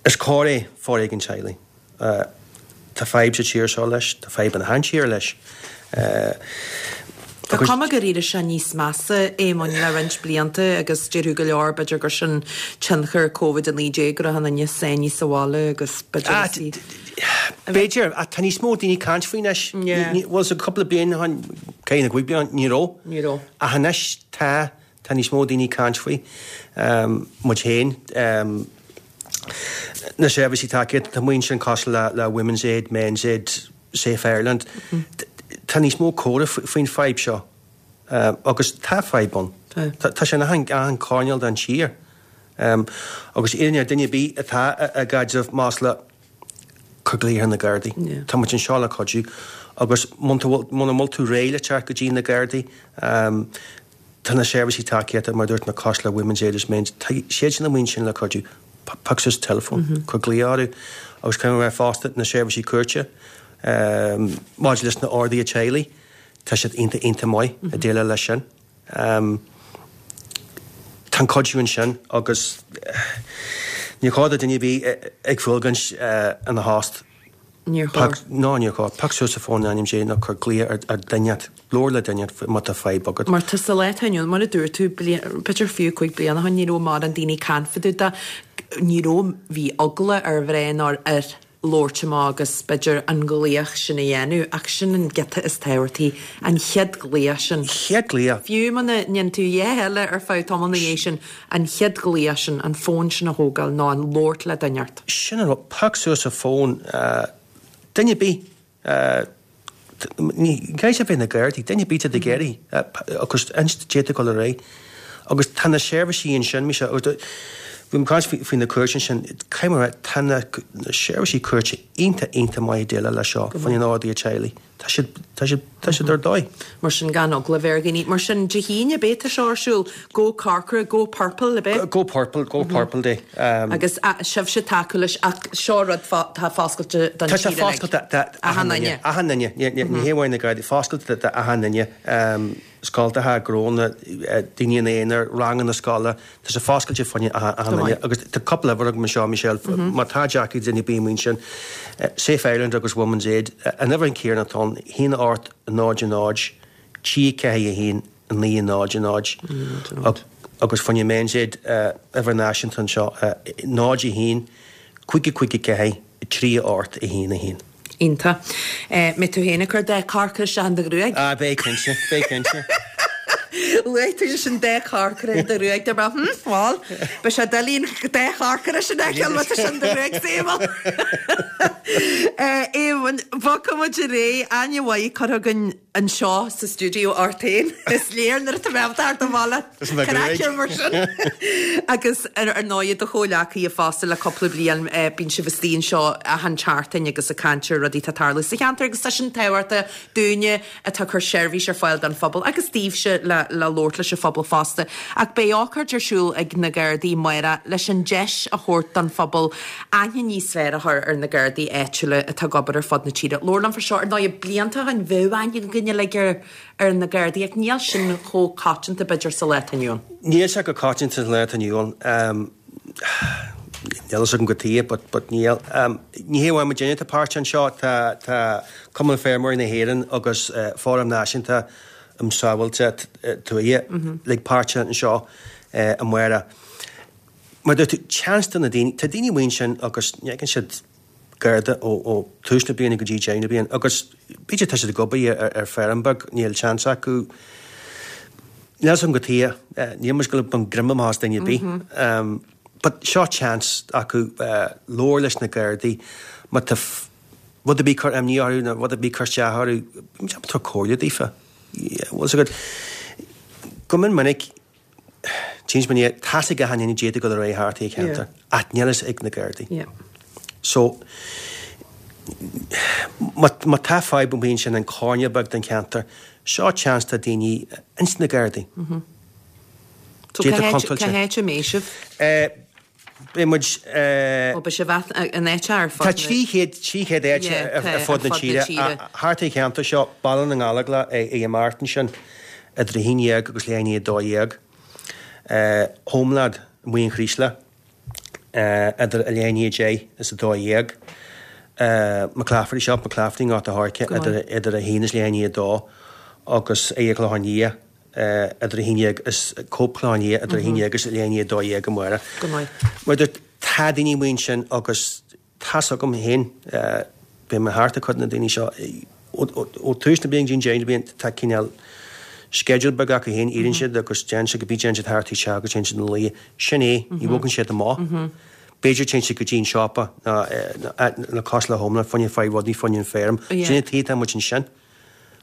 Is coir é foréigean teaghlaigh. Tá fadhb sa tír seo leis, tá fadhb in achan tír leis. Tá cuma gur éirigh sé níos measa, Éamoinn, le roinnt blianta agus déarfadh go leor b'fhéidir gur sin tionchar Covid-19 go raibh an duine sáinnithe sa bhaile agus b'fhéidir is í. B'fhéidir, ach tá níos mó daoine ag caint faoi anois. Bhuel, sa cúpla bliain ó shin, ceithre nó cúig bliana, ní raibh. Ní raibh. Ach anois tá, tá níos mó daoine ag caint faoi. Muid féin, na seirbhísí tacaíochta, tá muid ansin cosúil le le Women's Aid, Men's Aid, Safe Ireland. Tá níos mó comhrá faoin fadhb seo. Agus tá fadhb ann. Tá sé in achan achan choirnéal den tír. Agus iarraim ar duine ar bith atá i gcaidreamh maslach, cuir glaoch ar na Gardaí. Tá muid anseo le cuidiú. Agus muna bhfuil tú réidh le teacht go dtí na Gardaí, Tá na seirbhísí tacaíochta, mar a dúirt mé, cosúil le Women's Aid is Men's, tá siad sin amuigh ansin le cuidiú. Pioc suas an teileafón, cuir glaoch orthu. Agus caithfidh mé a rá fosta, na seirbhísí cúirte, maidir leis na orduithe teaghlaigh, tá siad iontach, iontach maith ag déileáil leis sin. Tá an cuidiú ansin agus níor chóir do duine ar bith ag fuilgaint ina thost. Níor chóir. Ná níor chóir. Pioc suas an fón in ainm Dé nó cuir glaoch ar duine, labhair le duine má tá fadhb agat. Mar tá sa lá atá inniu ann, mar a dúirt tú, b'fhéidir fiú 5 bliana ó shin, ní raibh mórán daoine ag caint fá dtaobh de, ní raibh, bhí eagla ar mhná nó ar fhir labhairt amach agus b'fhéidir an glaoch sin a dhéanamh ach sin an giota is tábhachtaí, an chéad ghlaoch sin. Chéad glaoch. Fiú muna ndéanann tú a dhath eile ar feadh tamall ina dhiaidh sin, an chéad ghlaoch sin, an fón sin a thógáil nó an labhairt le duine ort. Sin an rud, pioc suas an fón, duine ar bith, ní caithfidh sé bheith na Gardaí, duine ar bith atá ag iarraidh agus inis cad é atá ag dul ar aghaidh. Agus tá na seirbhísí ansin, mise, agus bhí mé ag caint faoi na cúirteanna ansin, caithfidh mé a rá, tá na seirbhísí cúirte iontach, iontach maith ag déileáil leis seo, fá choinne an ordaithe teaghlaigh. Tá siad, tá siad, tá siad ar dóigh. Mar sin, gan eagla a bheith ar dhaoine. Mar sin, Dé hAoine, ab é tá seo ar siúl? Go Corcra, Go Purple, ab é? Go Purple, Go Purple Day. Agus sibhse ag tacú leis, ach seo rud atá foscailte don Tá sé tír uilig. foscailte d'achan duine. Achan duine. Ní hé amháin na Gardaí, foscailte d'achan duine. Scoltacha, gnónna, daoine ina aonar, ranganna scoile, tá sé foscailte fá choinne achan duine. Agus tá cúpla uimhir agam anseo, Michelle, má tá deacracht ag duine ar bith amuigh ansin, Safe Ireland agus Women's Aid, an uimhir an chéanna atá ann, 1 8 0 0 3 4 1 9 0 0 agus fá choinne Men's Aid, uimhir náisiúnta anseo, 0 1 5 5 4 3 8 1 1. Iontach. Mbeidh tú féin ag cur dath corcra isteach in do ghruaig? Ah, beidh cinnte, beidh cinnte. Luaigh tú leis an dath corcra in do ghruaig, dúirt mé, hm, bhal, beidh sé doiligh an dath corcra sin a fheiceáil má tá sin in do ghruaig, Éamonn. Éamonn, bogfaidh muid ar aghaidh, aithne mhaith curtha againn anseo sa stiúideo ort féin. Is léir nuair atá mé ábalta thart an bhaile craiceann mar sin. Agus ar ndóigh do chomhghleacaithe fosta le cúpla bliain bíonn sibh istigh anseo achan tseachtain agus ag caint ar rudaí atá ag tarlú sa cheantar agus tá sin tábhachtach dúinne atá ag cur seirbhís ar fáil don phobal agus daoibhse le le labhairt leis an phobal fosta. Ach beidh ócáid ar siúl ag na Gardaí amárach leis an deis a thabhairt don phobal aithne níos fearr a chur ar na Gardaí áitiúla atá ag obair ar fud na tíre. Labhair liom faoi seo, ar ndóigh, blianta ó shin bheadh aithne againn uilig ar ar na Gardaí ach níl sin chomh coitianta b'fhéidir sa lá atá inniu ann. Níl sé chomh coitianta sa lá atá inniu ann. Níl fhios agam cad chuige but but níl. Ní hé amháin muidinne atá páirteach anseo, tá tá Cumann Feirmeoirí na hÉireann agus Fóram Náisiúnta um Sábháilteacht Tuaithe uilig páirteach anseo amárach. Mar dúirt tú, seans do na daoine, tá daoine amuigh ansin agus ní fheiceann siad Garda ó tús na bliana go dtí deireadh na bliana agus b'fhéidir tá siad ag obair ar feirm beag, níl seans acu, níl fhios agam cad chuige, níl muid ag dul ag baint greim amach as duine ar bith. But seo seans acu labhair leis na Gardaí má tá rud ar bith ag cur imní orthu nó rud ar bith ag cur isteach orthu, tabhair comhairle daofa. Bhfuil fhios agat? Go mion minic, tchíonn muid é, tá's ag achan duine caidé atá ag dul ar aghaidh thart sa cheantar, ach níl fhios ag na Gardaí. So, má tá fadhb amuigh ansin in coirnéal beag den cheantar, seo chance do daoine ins na Gardaí. So cá háit a mbeidh sibh? Beidh muid. Ó, beidh sibh in áit ar fud na. Tá 300, 300 áit ar fud na tíre. Thart an cheantar seo, Baile na nGallóglach ag imeacht ansin idir 11 agus leath i ndiaidh 12. Homeland, Muin an Chraoslaigh, idir leath i ndiaidh 10 is 12. McClafferty Shop, McClafferty i nGort a' Choirce idir 1 is leath i ndiaidh 2 agus ag Clochán Liath. idir 11 is Cope Chlochán Liath idir 11 agus leath i ndiaidh 12 amárach. Go maith. Mar dúirt, tá daoine amuigh ansin agus tá's agam féin, beidh mé thart ag cuid de na daoine seo, ó tús na bliana go dtí an deireadh na bliana, tá cineál sceideal beag acu féin, éiríonn siad agus déanann siad go bí déanann siad thart teach agus téann siad ina luí. Sin é, ní bhogann siad amach. B'fhéidir téann siad go dtí an siopa nó cosúil le Homeland, fá choinne fáil rudaí fá choinne an feirm. Sin an tuige atá muid ansin.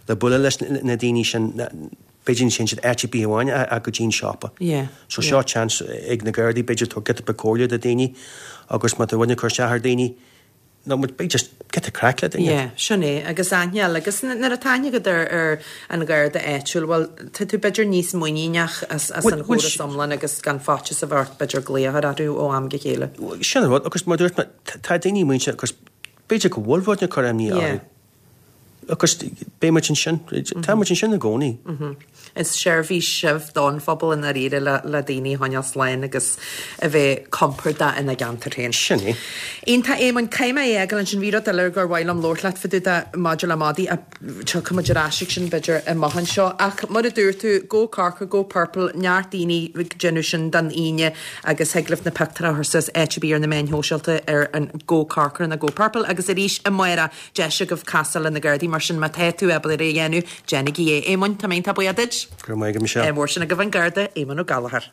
le bualadh leis na daoine sin, b'fhéidir ní théann siad áit ar bith amháin ach go dtí an siopa. So seo chance ag na Gardaí, b'fhéidir tabhairt giota beag comhairle do daoine agus má tá rud ag cur isteach ar daoine, nó b'fhéidir just giota craic le duine. Yeah, sin é, agus aithne eile, agus nuair atá aithne agat ar ar an Gharda áitiúil, bhuel, tá tú b'fhéidir níos muiníneach as as an chóras iomlán agus gan faitíos a bheith ort b'fhéidir glaoch a chur orthu ó am go chéile. Sin an rud, agus mar dúirt mé, tá daoine muinteartha agus b'fhéidir go bhfuil rud ag cur imní orthu. Agus beidh muid ansin, tá muid ansin i gcónaí. Is seirbhís sibh don phobal i ndáiríre le daoine a choinneáil slán agus a bheith compordach ina gceantar féin. Sin é. Iontach, Éamoinn. Caithfidh mé é a fhágáil ansin. Bhí rud eile gur mhaith liom labhairt leat fá dtaobh de maidir le madaí ach tiocfaidh muid ar ais ag sin b'fhéidir amach anseo. Ach mar a dúirt tú, Go Corcra, Go Purple, neart daoine ag déanamh sin don Aoine agus thig libh na pictiúir a chur suas áit ar bith ar na meáin shóisialta ar an Go Corcra nó Go Purple agus arís amárach Deis agaibh casadh le na Gardaí, mar sin má tá tú ábalta é a dhéanamh, déanaigí é. Éamoinn, tá mé iontach buíoch duit. Go raibh maith agat, Michelle. Ádh mór sin agaibh an Garda, Éamonn Ó Gallchóir.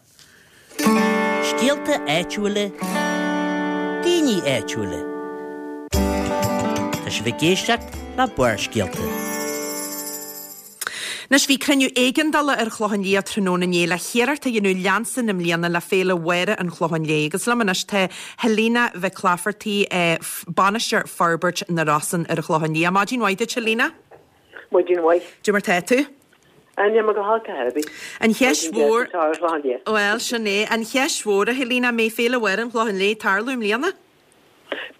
Scéalta áitiúla, daoine áitiúla. Tá sibh ag éisteacht le Barrscéalta. Anois, bhí cruinniú éigeandála ar an Chlochán Liath tráthnóna inné le hiarracht a dhéanamh leanstan i mbliana le Féile Mháire an Chlocháin Léith. Agus liom anois tá Helena Mhic Laifeartaigh, Bainisteoir Forbairt na Rosann ar an Chlochán Liath. Maidin mhaith duit, Helena. Maidin mhaith. Cad é mar tá tú? Níl mé go holc ar bith. An cheist mhór. Maidin deas anseo ar an Chlochán Liath. Bhuel, sin é. An cheist mhór, a Helena, an mbeidh Féile Mháire an Chlocháin Léith ag tarlú i mbliana?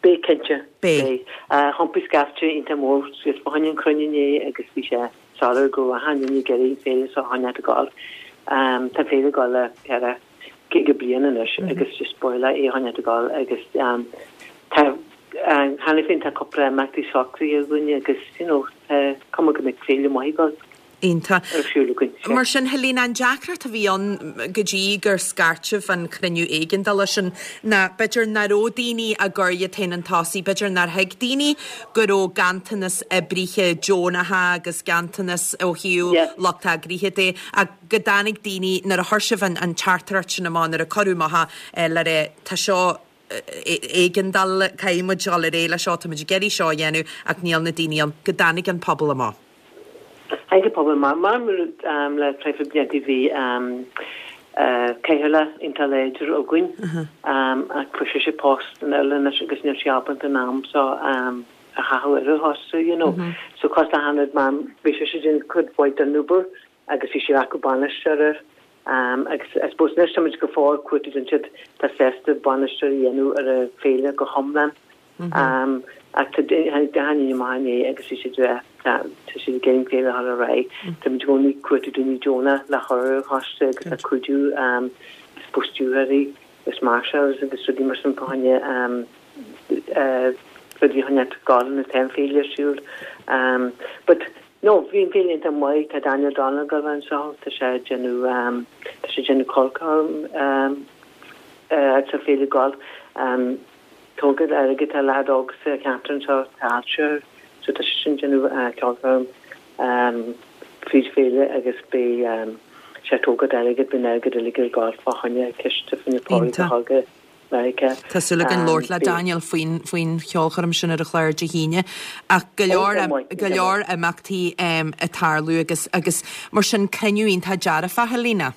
Beidh, cinnte. Beidh. Thiompaigh scaifte iontach mór suas fá choinne an chruinniú inné agus bhí sé soiléir go raibh achan duine ag iarraidh an féile seo a choinneáilt ag gabháil. Tá an féile ag gabháil le ceithre 50 bliain anois agus just ba mhaith leo é a choinneáilt ag gabháil agus tá cheana féin tá cúpla imeachtaí socraithe againn agus you know tá cuma go mbeidh féile maith ag gabháil. Iontach. ar siúl againn. Sea. Mar sin, Helena, an deacracht a bhí ann go dtí gur scairt sibh an cruinniú éigeandála sin ná b'fhéidir nach raibh daoine ag cur iad féin chun tosaigh, b'fhéidir nár thuig daoine go raibh ganntanas oibrithe deonacha agus ganntanas ó thaobh lucht eagraithe de ach go dtáinig daoine, nuair a chuir sibh an teachtaireacht sin amach, nuair a cuireadh amach é le rá tá seo éigeandáil, caithfidh muid dul ar aghaidh leis seo, tá muid ag iarraidh seo a dhéanamh ach níl na daoine ann, go dtáinig an pobal amach. Tháinig an pobal amach. Mar le traidhfil blianta bhí cathaoirleach iontach láidir againn ach fuair sise post in Ireland anois agus níl sí ábalta an am seo a chaitheamh ar an choiste, you know. So cosúil le achan rud mar bhí sise ag déanamh cuid mhaith den obair agus bhí sí ag earcú bainisteoir air agus I suppose anois táimid go fóill ag cuartú don siad atá sásta bainisteoir a dhéanamh ar an féile go hiomlán ach tá tháinig achan duine amach inné agus bhí siad tá siad ag iarraidh an féile a chur ar aghaidh. Táimid i gcónaí ag cuartú daoine deonach le chur ar an choiste agus le cuidiú I suppose stiúrthóirí agus marshals agus rudaí mar sin fá choinne rudaí a choinneáilt ag gabháil nuair atá an féile ar siúl. But No, bhí an féile iontach maith, tá Daniel Donnell ag dul a bheith anseo, tá sé ag déanamh, tá sé ag déanamh ceolchoirm sa féile golf. Tógáil airgid, tá leaid óg sa cheantar anseo, tá ailse air, so tá sé sin ag déanamh ceolchoirm fríd féile agus beidh sé ag tógáil airgid, beidh an airgead uilig ag gabháil fá choinne ciste fá choinne Pádraig Ó hÓga. Meiriceá. Tá súil againn labhairt le Daniel faoin faoin cheolchoirm sin ar an chlár Dé hAoine. Ach go leor go leor imeachtaí ag tarlú agus agus mar sin cruinniú iontach dearfach, Helena.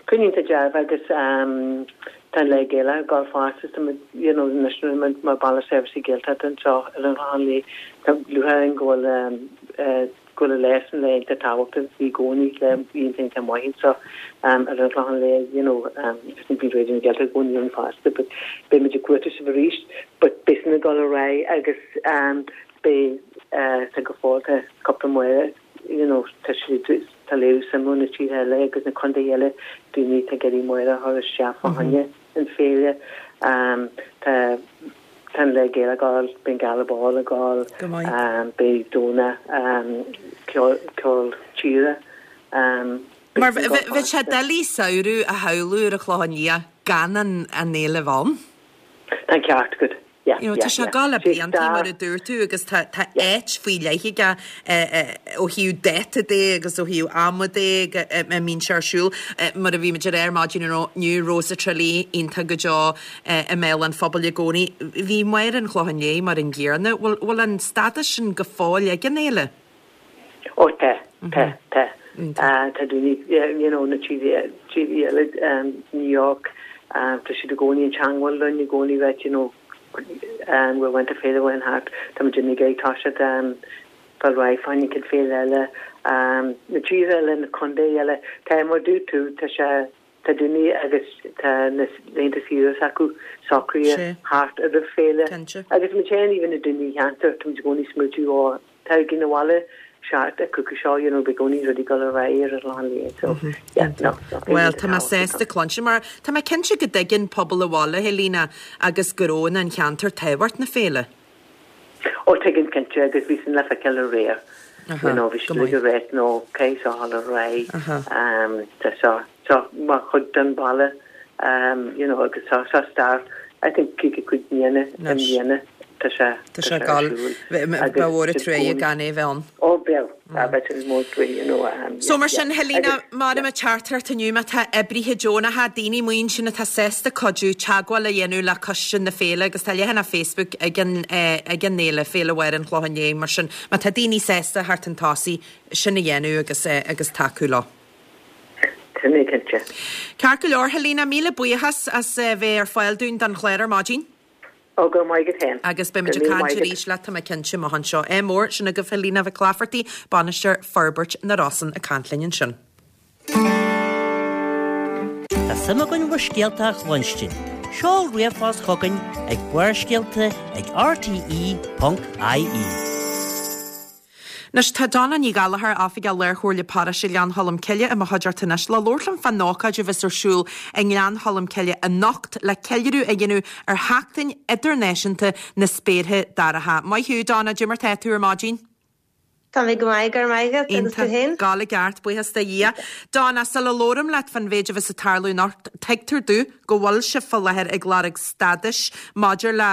Cruinniú iontach dearfach agus tá an Lá Gaelach ag gabháil fosta tá muid you know anois muid mar Baile Seirbhísí Gaeltachta anseo ar an Chlochán Liath tá lúcháir orainn go bhfuil go bhfuil an lá sin lá iontach tábhachtach bhí i gcónaí lá iontach iontach maith anseo ar an Chlochán Liath you know agus bíonn Raidió na Gaeltachta i gcónaí ann fosta but beidh muid ag cuartú sibh arís but beidh sin ag dul ar aghaidh agus beidh tá go fóill tá cúpla Máire you know tá siad tá léiriú suim ó na tíortha eile agus na contaetha eile daoine atá ag iarraidh Máire a chur isteach fá choinne an féile tá Tá an Lá Gaelach ag gabháil, beidh an Gala Ball ag gabháil, Go maith. beidh Domhnach ceol, ceol tíre, beidh Mar sin ag gabháil bheadh sé fosta. doiligh samhradh a shamhlú ar an Chlochán Liath gan an fhéile bheith ann. Tá an ceart agat. Yeah, You know, yeah, tá sé yeah. ag gabháil le Sé blianta mar stair. a dúirt tú agus tá tá Yeah. áit faoi leith aige ó thaobh dáta de agus ó thaobh ama de go a mbíonn sé ar siúl. Mar a bhí muid ag rá ar maidin inniu, Rós i dTraí iontach go deo i mbéal an phobail i gcónaí. Bhí Máire an Chlocháin Léith mar an gcéanna. Bhfuil bhfuil an stádas sin go fóill ag an fhéile? Ó tá, tá, tá. Tá daoine, you know, na tíortha eile, New York, tá siad i gcónaí in teangmháil linn, i gcónaí right, you know, we're went to féile bhain thart, tá muid ag iarraidh toiseacht fáil réidh fá choinne an chéad féile eile, na tíortha eile, na contae eile, tá mar dúirt tú, tá sé, tá daoine agus tá na laethanta saoire s'acu socraithe thart ar an féile agus muid féin even na daoine cheantar, tá muid i gcónaí smaoitiú ó Tá na bhaile seart ag cúcú seo, you know, beidh gcónaí rudaí dul ar aghaidh ar an Chlochán Liath, so yeah, no, no. Bhuel, tá mé sásta cluinstin mar tá mé cinnte go dtuigeann pobal an bhaile, Helena, agus gnónna an cheantair tábhacht na féile. Ó, tuigeann cinnte agus bhí sin le feiceáil aréir. You know, bhí siad ag rá, no, caithfidh seo dhul ar aghaidh, tá seo, seo mar chuid den bhaile, you know, agus seo, seo stair, I think 55 bliana i mbliana tá sé, tá sé ar siúl. Ba mhór an truaighe gan é bheith ann. Ó, bheadh, bheadh sé mór truaighe, you know. So mar sin, Helena, mar mo theachtaireacht inniu, má tá oibrithe deonacha, daoine amuigh ansin atá sásta cuidiú, teagmháil a dhéanamh le coiste na féile agus tá leathanach Facebook ag an, ag an fhéile, Féile Mháire an Chlocháin Léith, mar sin, má tá daoine sásta theacht chun tosaigh, sin a dhéanamh agus, agus tacú leo. Sin é cinnte. Ceart go leor, Helena, míle buíochas as bheith ar fáil dúinn don chlár ar maidin. Ó, go raibh maith agat féin. Agus beidh muid ag caint arís leat, tá mé cinnte, amach anseo. Ádh mór, sin agaibh Helena Mhic Laifeartaigh, Bainisteoir Forbairt na Rosann ag caint linn ansin. Tá suim againn bhur scéalta a chluinstin. Seol ríomhphost chugainn ag barrscéalta ag rte.ie. Anois, tá Donna Ní Ghallchóir, Oifigeach Lár-Chomhairle Paróiste Ghleann Cholm Cille i mo chuideachta anois le labhairt liom fán ócáid a bheas ar siúl i nGleann Cholm Cille anocht le ceiliúradh a dhéanamh ar Sheachtain Idirnáisiúnta na Spéartha Dorcha. Maith thú, Donna, cad é mar tá tú ar maidin? Tá mé go maith, go raibh maith agat, agus tú Iontach, féin? gabháil i gceart, buíochas do Dhia. Donna, sula labhraim leat fán mhéid a bheas ag tarlú anocht, tuigtear domh go bhfuil sibh fá láthair ag lorg stádais maidir le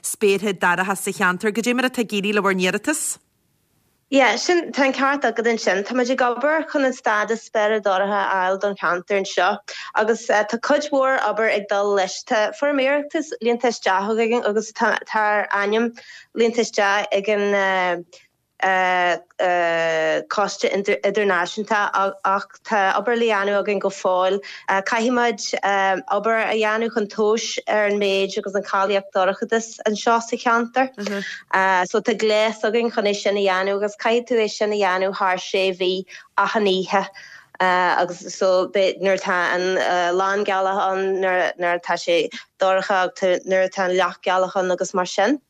spéartha dorcha sa cheantar. Goidé mar atá ag éirí le bhur n-iarratas? Yeah, sin, tá an ceart agat ansin. Tá muid ag obair chun an stádas spéire dorcha a fháil don cheantar anseo agus tá cuid mhór obair ag dul leis. Tá foirm iarratais líonta isteach againn agus tá ár ainm líonta isteach ag an Coiste Idirnáisiúnta ach tá obair le dhéanamh againn go fóill. Caithfidh muid obair a dhéanamh chun tomhais ar an méid agus an cháilíocht dorchadas anseo sa cheantar. So tá gléas againn chun é sin a dhéanamh agus caithfidh tú é sin a dhéanamh thar sé mhí achan oíche. Agus so beidh nuair atá an lánghealach ann, nuair atá sé dorcha agus nuair atá an leathghealach ann agus mar sin.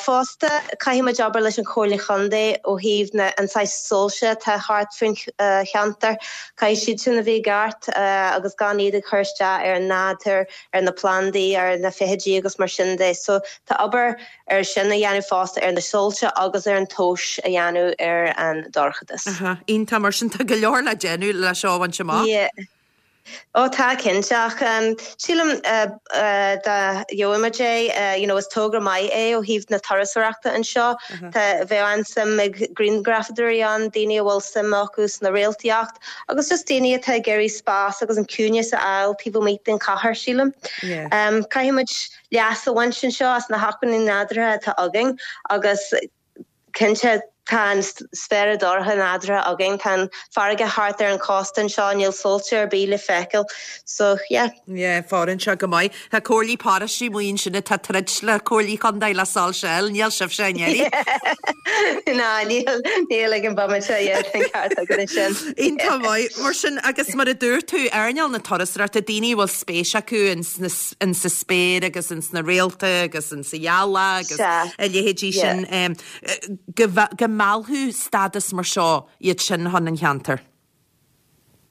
Fosta, caithfidh muid obair leis an Chomhairle Chontae ó thaobh na an saghas soilse atá thart faoin cheantar. Caithfidh siad sin a bheith i gceart agus gan iad ag cur isteach ar an nádúr, ar na plandaí, ar na feithidí agus mar sin de. So tá obair ar sin a dhéanamh fosta, ar na soilse agus ar an tomhas a dhéanamh ar an dorchadas. Aha, iontach, mar sin tá go leor le déanamh le seo a bhaint amach. Yeah. Ó tá, cinnte, ach sílim dá gheobhadh muid é, you know, is togra maith é ó thaobh na turasóireachta anseo. Tá, bheadh an-suim ag grianghrafadóirí ann, daoine a bhfuil suim acu sna réaltaíocht agus just daoine atá ag iarraidh spás agus an ciúineas a fháil taobh amuigh den chathair, sílim. Caithfidh muid leas a bhaint anseo as na hacmhainní nádúrtha atá againn agus Cinnte, tá an spéire dorcha nádúrtha againn, tá an farraige thart ar an chósta anseo, níl soilse ar bith le feiceáil, so yeah. Yeah, fóireann sé go maith. Tá comhairlí paróiste amuigh ansin atá ag troid le comhairlí chontae le soilse a fháil, níl sibhse i ndáiríre. Ná, níl, níl ag an bomaite, yeah, tá an ceart agat ansin. Iontach maith. Mar sin, agus mar a dúirt tú, earnáil na turasóireachta, daoine a bhfuil spéis acu in sa spéir agus in sna réalta agus in sa ghealach agus a leithéidí sin, go meallfadh stádas mar seo iad sin chun an cheantair.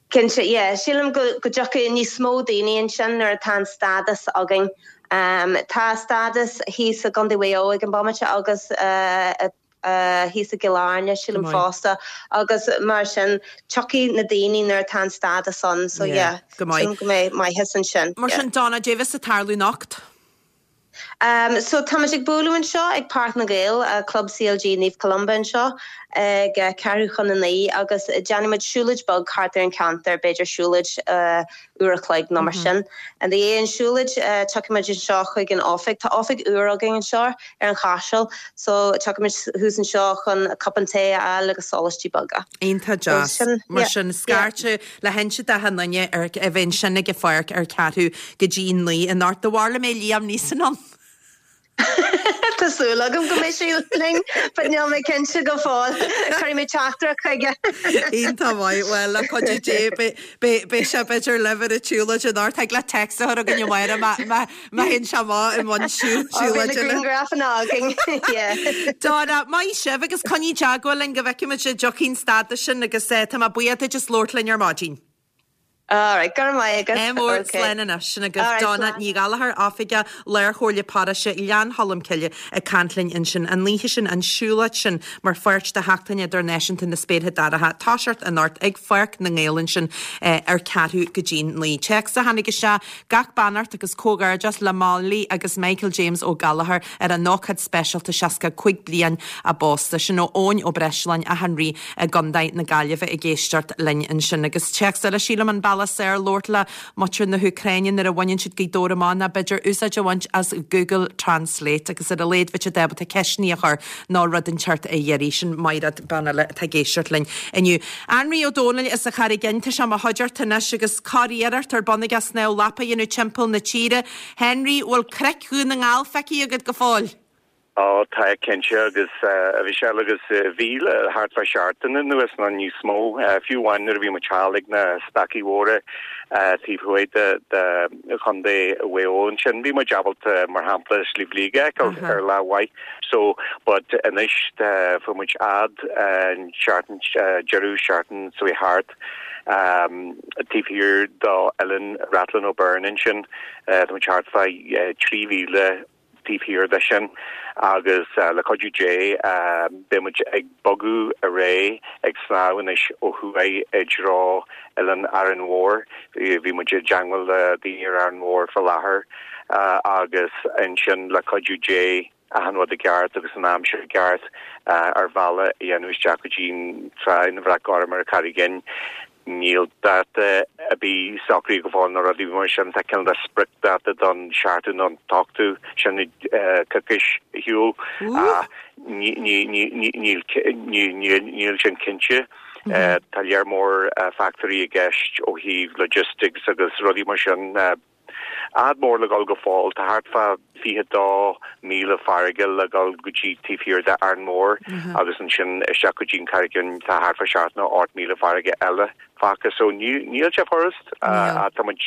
Cinnte, yeah. Sílim go dtiocfaidh níos mó daoine ansin nuair atá an stádas againn. Tá stádas thíos i gContae Mhaigh Eo ag an bomaite agus thíos i gCill Airne, sílim fosta, agus mar sin tiocfaidh na daoine nuair atá an stádas ann, so yeah, sílim go mbeidh maitheas ansin. Mar sin, Donna, caidé a bheas ag tarlú anocht? So táimid ag bualadh anseo ag Páirc na nGael, Club CLG Naomh Columba anseo ag ceathrú chun a 9 agus déanfaimid siúlóid beag thart ar an cheantar, b'fhéidir siúlóid uair a chloig nó mar sin. I ndiaidh an siúlóid tiocfaimid anseo chuig an oifig. Tá oifig úr againn anseo ar an Chaiseal so tiocfaimid thuas anseo chun cupán tae a fháil agus sólaistí beaga. Iontach deas. Mar sin, scairteadh le hinse d'achan duine ar a bheith ansin ag an pháirc ar ceathrú go dtí 9 anocht. Do bharr le mbeidh Liam Neeson ann. Tá súil agam go mbeidh sé linn, but níl mé cinnte go fóill. Cuirfidh mé teachtaireacht chuige. Iontach maith. Bhuel, le cuidiú Dé, beidh sé b'fhéidir libh ar an tsiúlóid anocht. Thig leat text a chur chugainn amárach má má théann sé amach i mbun siúlóide. Ó, beidh na grianghrafanna againn. Yeah. Donna, maith sibh agus coinnigh i dteagmháil linn go bhfeicfimid an dtiocfaidh an stádas sin agus tá mé buíoch duit as labhairt linn ar maidin. Alright, go raibh maith agat. Ádh mór, Okay. slán anois. Sin agaibh Alright, Donna slán. Ní Ghallchóir, Oifigeach Lár-Chomhairle Paróiste Ghleann Cholm Cille ag caint linn ansin. An oíche sin, an siúlóid sin mar pháirt de Sheachtain Idirnáisiúnta na Spéartha Dorcha, toiseacht anocht ag Pháirc na nGael ansin ar ceathrú go dtí'n 9. Téacs a tháinig isteach, Gach beannacht agus comhghairdeas le Molly agus Michael James Ó Gallchóir ar a n-ócáid speisialta 65 bliain a bpósta. Sin ó Eoin Ó Breisleáin, Áth an Rí i gContae na Gaillimhe ag éisteacht linn ansin. Agus téacs eile, sílim an bealach is fearr labhairt le muintir na hÚcráine nuair a bhaineann siad Gaoth Dobhair amach ná b'fhéidir úsáid a bhaint as Google Translate agus ar a laghad bheadh siad ábalta ceisteanna a chur nó rud inteacht a iarraidh. Sin Mairéad, bean eile atá ag éisteacht linn inniu. Anraí Ó Dónaill as an Charraig Fhinn, tá sé i mo chuideachta anois agus curiarracht ar bun aige snámh lapa a dhéanamh timpeall na tíre. Henry, bhfuil cnoic Dhún na nGall feicthe agat go fóill? Ó, tá, cinnte, agus a Mhichelle, agus bhí le thart fá seachtain anuas nó níos mó, fiú amháin nuair a bhí muid thall ag na Stacaí Mhóra taobh thuaidh de Chontae Mhaigh Eo ansin, bhí muid ábalta, mar shampla, Sliabh Liag a fheiceáil ar lá mhaith. So, but anois fuair muid fhad an seachtain, deireadh seachtain seo thart, taobh thiar d'Oileán Rathlin O'Byrne ansin, tá muid thart fá 3,000 taobh thiar de sin agus le cuidiú Dé beidh muid ag bogadh ar aghaidh ag snámh anois ó thuaidh i dtreo Oileán Árainn Mhór. Bhí muid i dteangmháil le daoine ar Árainn Mhór faoi láthair agus ansin le cuidiú Dé achan rud i gceart agus an aimsir i gceart ár mbealach a dhéanamh isteach go dtí an Tráigh na Bhreac Gorm ar an Charraig Fhinn. Níl dáta ar bith socraithe go fóill nó rudaí mar sin. Tá cineál de spriocdháta don seachtú nó an t-ochtú, sin coicís ar shiúl. Ach níl sin cinnte. Tá léar mór factóirí i gceist ó thaobh logistics agus rudaí mar sin. Fhad mór le dhul go fóill. Tá thart fá 22 míle farraige le dhul go dtí taobh thiar de Árainn Mhór agus ansin isteach go dtí an Charraig Fhinn tá thart fá seacht nó ocht míle farraige eile fágtha. So níl sé furast ach tá muid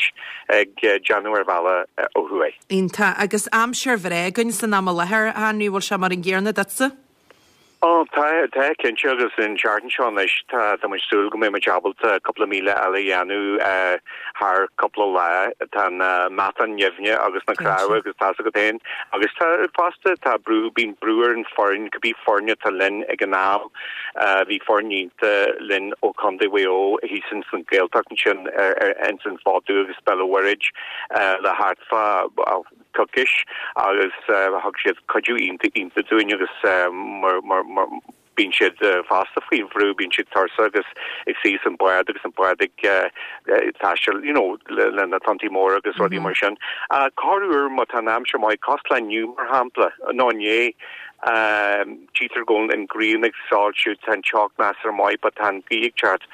ag déanamh ár bhealach ó thuaidh. Iontach. Agus aimsir bhreá againn san am i láthair, a Henry, bhfuil sé mar an gcéanna duitse? Ó, tá, tá, cinnte, agus an tseachtain seo anois tá, tá muid súil go mbeidh muid ábalta cúpla míle eile a dhéanamh thar cúpla lá. Tá na meatáin nimhneach agus na cnámha agus tá's agat féin. Agus tá, fosta, tá brú, bíonn brú ar an foireann, cibé foireann atá linn ag an am. Bhí foireann iontach linn ó Chontae Mhaigh Eo thíos ins an Ghaeltacht ansin, ins an Fódú agus Béal an Mhuirthead le thart fá, coicís agus thug siad cuidiú iontach iontach dúinn agus mar mar mar bíonn siad fosta faoi bhrú, bíonn siad tuirseach agus ag suí san bád agus an bád ag taisteal you know le na tonntaí móra agus rudaí mar sin. Corruair má tá an aimsir maith, cosúil le inniu mar shampla, nó inné, tchítear go bhfuil an ghrian ag soilsiú, tá an teocht measartha maith but tá an ghaoth ag teacht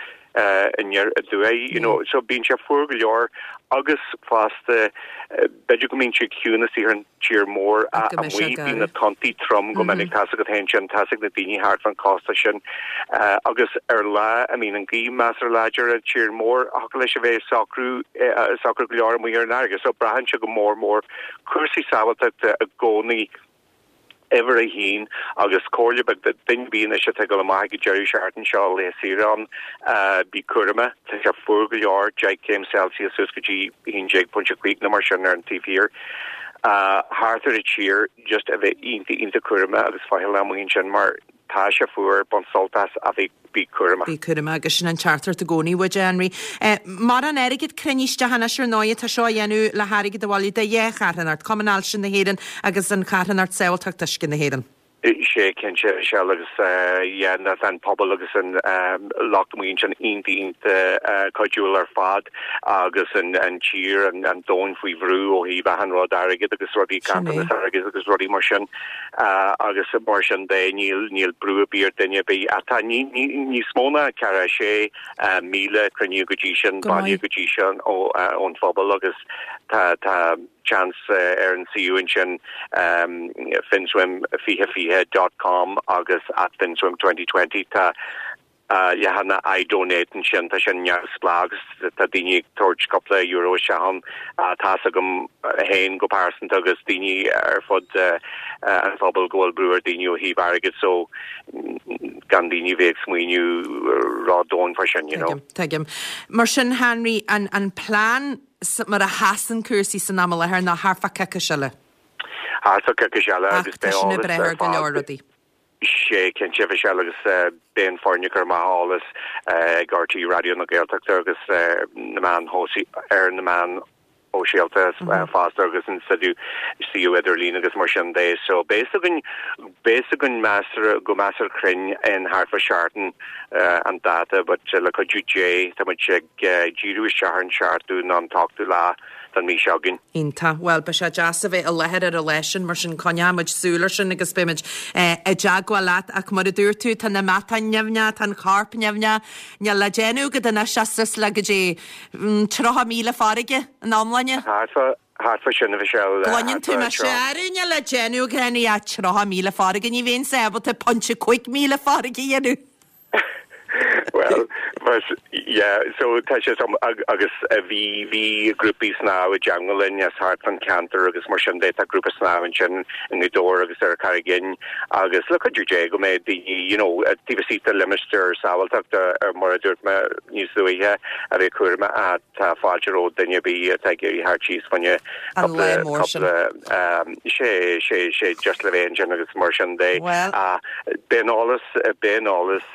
aniar aduaidh, you know, so bíonn sé fuar go leor agus fosta b'fhéidir go mbíonn sé ciúin istigh ar an tír mór ach amuigh bíonn na tonntaí trom go minic, tá's agat féin sin, tá's ag na daoine thart fán chósta sin agus ar lá a mbíonn an ghaoth measartha láidir ar an tír mór thiocfadh leis a bheith socrú socair go leor amuigh ar an fharraige so braitheann sé go mór mór cúrsaí sábháilteachta i gcónaí. Uimhir a haon, agus comhairle beag do duine ar bith anois atá ag dul amach ag an deireadh seachtaine seo, laetha saoire ann, bí cúramach, tá sé fuar go leor, 10 céim Celsius suas go dtí 11.5 nó mar sin ar an taobh thiar, thart ar an tír, just a bheith iontach, iontach cúramach agus faichilleach amuigh ansin mar tá sé fuar, bain sult as ach bí, bí cúramach. Bí cúramach agus sin an teachtaireacht i gcónaí uait, a Henry. Mórán airgead cruinnithe isteach anois ar ndóigh, tá seo á dhéanamh le hairgead a bhailiú do dhá charthanacht, Cumann Ailse na hÉireann agus an Charthanacht Sábháilteacht Uisce na hÉireann. Sea, cinnte, Michelle, agus yeah, tá an pobal agus an lucht amuigh ansin iontach, iontach cuidiúil ar fad agus an tír, an domhan faoi bhrú ó thaobh achan rud, airgead agus rudaí, ganntanas airgid agus rudaí mar sin. Agus mar sin de, níl, níl brú ar bith ar duine ar bith. Ach tá níos mó ná 46,000 cruinnithe go dtí sin, bailithe go dtí sin ón phobal agus tá, tá seans ar an suíomh ansin finswim2020 dot com agus at finswim 2020 tá leathanach iDonate ansin, tá sin neamhspleách agus tá daoine ag tabhairt cúpla euro isteach ann. Tá's agam féin go pearsanta agus daoine ar fud an phobail go bhfuil brú ar daoine ó thaobh airgid so gan daoine a bheith ag smaoineamh ró-dhomhain fá sin, you know. Tuigim, tuigim. Mar sin, Henry, an an plean mar a sheasann cúrsaí san am i láthair ná thart fá coicís eile. Thart fá coicís eile agus beidh eolas ar fad. Ach tá sin ag brath ar go leor rudaí. Sea, cinnte, Michelle, agus beidh an foireann ag cur amach eolas ag RTÉ Raidió na Gaeltachta agus na meáin ar na meáin shóisialta fosta agus an suíomh idirlín agus mar sin de. So beidh a fhios againn, beidh a fhios againn measartha, go measartha cruinn in thart fá seachtain an dáta but le cuidiú Dé tá muid ag díriú isteach ar an seachtú nó an t-ochtú lá don mhí seo chugainn. Iontach. Bhuel, beidh sé deas a bheith i láthair ar an lá sin, mar sin coinneoidh muid súil ar sin agus beidh muid i dteagmháil leat. Ach mar a dúirt tú, tá na meatáin nimhneach, tá an corp nimhneach, níl le déanamh agat anois ach suas le go dtí 30 míle farraige ina iomláine. Thart fá, thart fá sin, a Mhichelle. Gcluineann tú mise, arú, níl le déanamh agat ach 30 míle farraige, ní bheinnse ábalta pointe 5 míle farraige a dhéanamh. Bhuel, yeah, so tá sé agus bhí bhí grúpaí snámha i dteagmháil linn as thart fán cheantar agus mar sin de tá grúpa snámha ansin i nGaoth Dobhair agus ar Charraig Fhinn agus le cuidiú Dé go mbeidh daoine you know taobh istigh de limistéar sábháilteachta ar mar a dúirt mé níos luaithe a bheith cúramach ach tá fáilte roimh duine ar bith atá ag iarraidh theacht síos fá choinne An lá mór sin. Sé sé sé just le bheith ansin agus mar sin de. Bhuel. Beidh an eolas beidh an eolas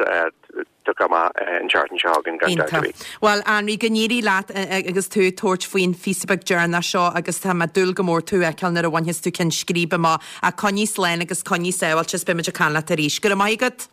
tugtha amach an tseachtain seo chugainn gan dabht ar bith. Bhuel, Anraí, go n-éirí leat agus tú ag tabhairt faoin phíosa beag deireanach seo agus tá mé ag dúil go mór tú a fheiceáil nuair a bhainfeas tú ceann scríbe amach. Ach coinnigh slán agus coinnigh sábháilte is beidh muid ag caint leat arís. Go raibh maith agat!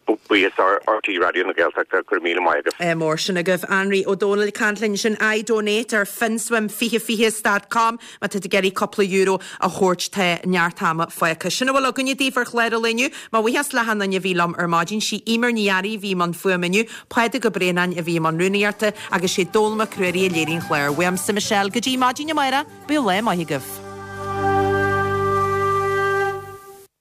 Buíochas RTÉ Raidió na Gaeltachta, go raibh míle maith agaibh. Ádh mór sin agaibh. Anraí Ó Dónaill ag caint linn ansin. iDonate ar finswim2020 dot com má tá tú ag iarraidh cúpla euro a thabhairt tá neart ama fágtha. Sin a bhfuil againne daoibh ar chlár an lae inniu. Mo bhuíochas le hachan duine a bhí liom ar maidin. Sí Eimear Ní Fhearraigh a bhí i mbun fuaime inniu, Pádraig Ó Braonáin a bhí i mbun rúnaíochta agus sé Dónall Mac Ruairí a léirigh an clár. Uaimse Michelle go dtí maidin amárach, bíodh lá maith agaibh.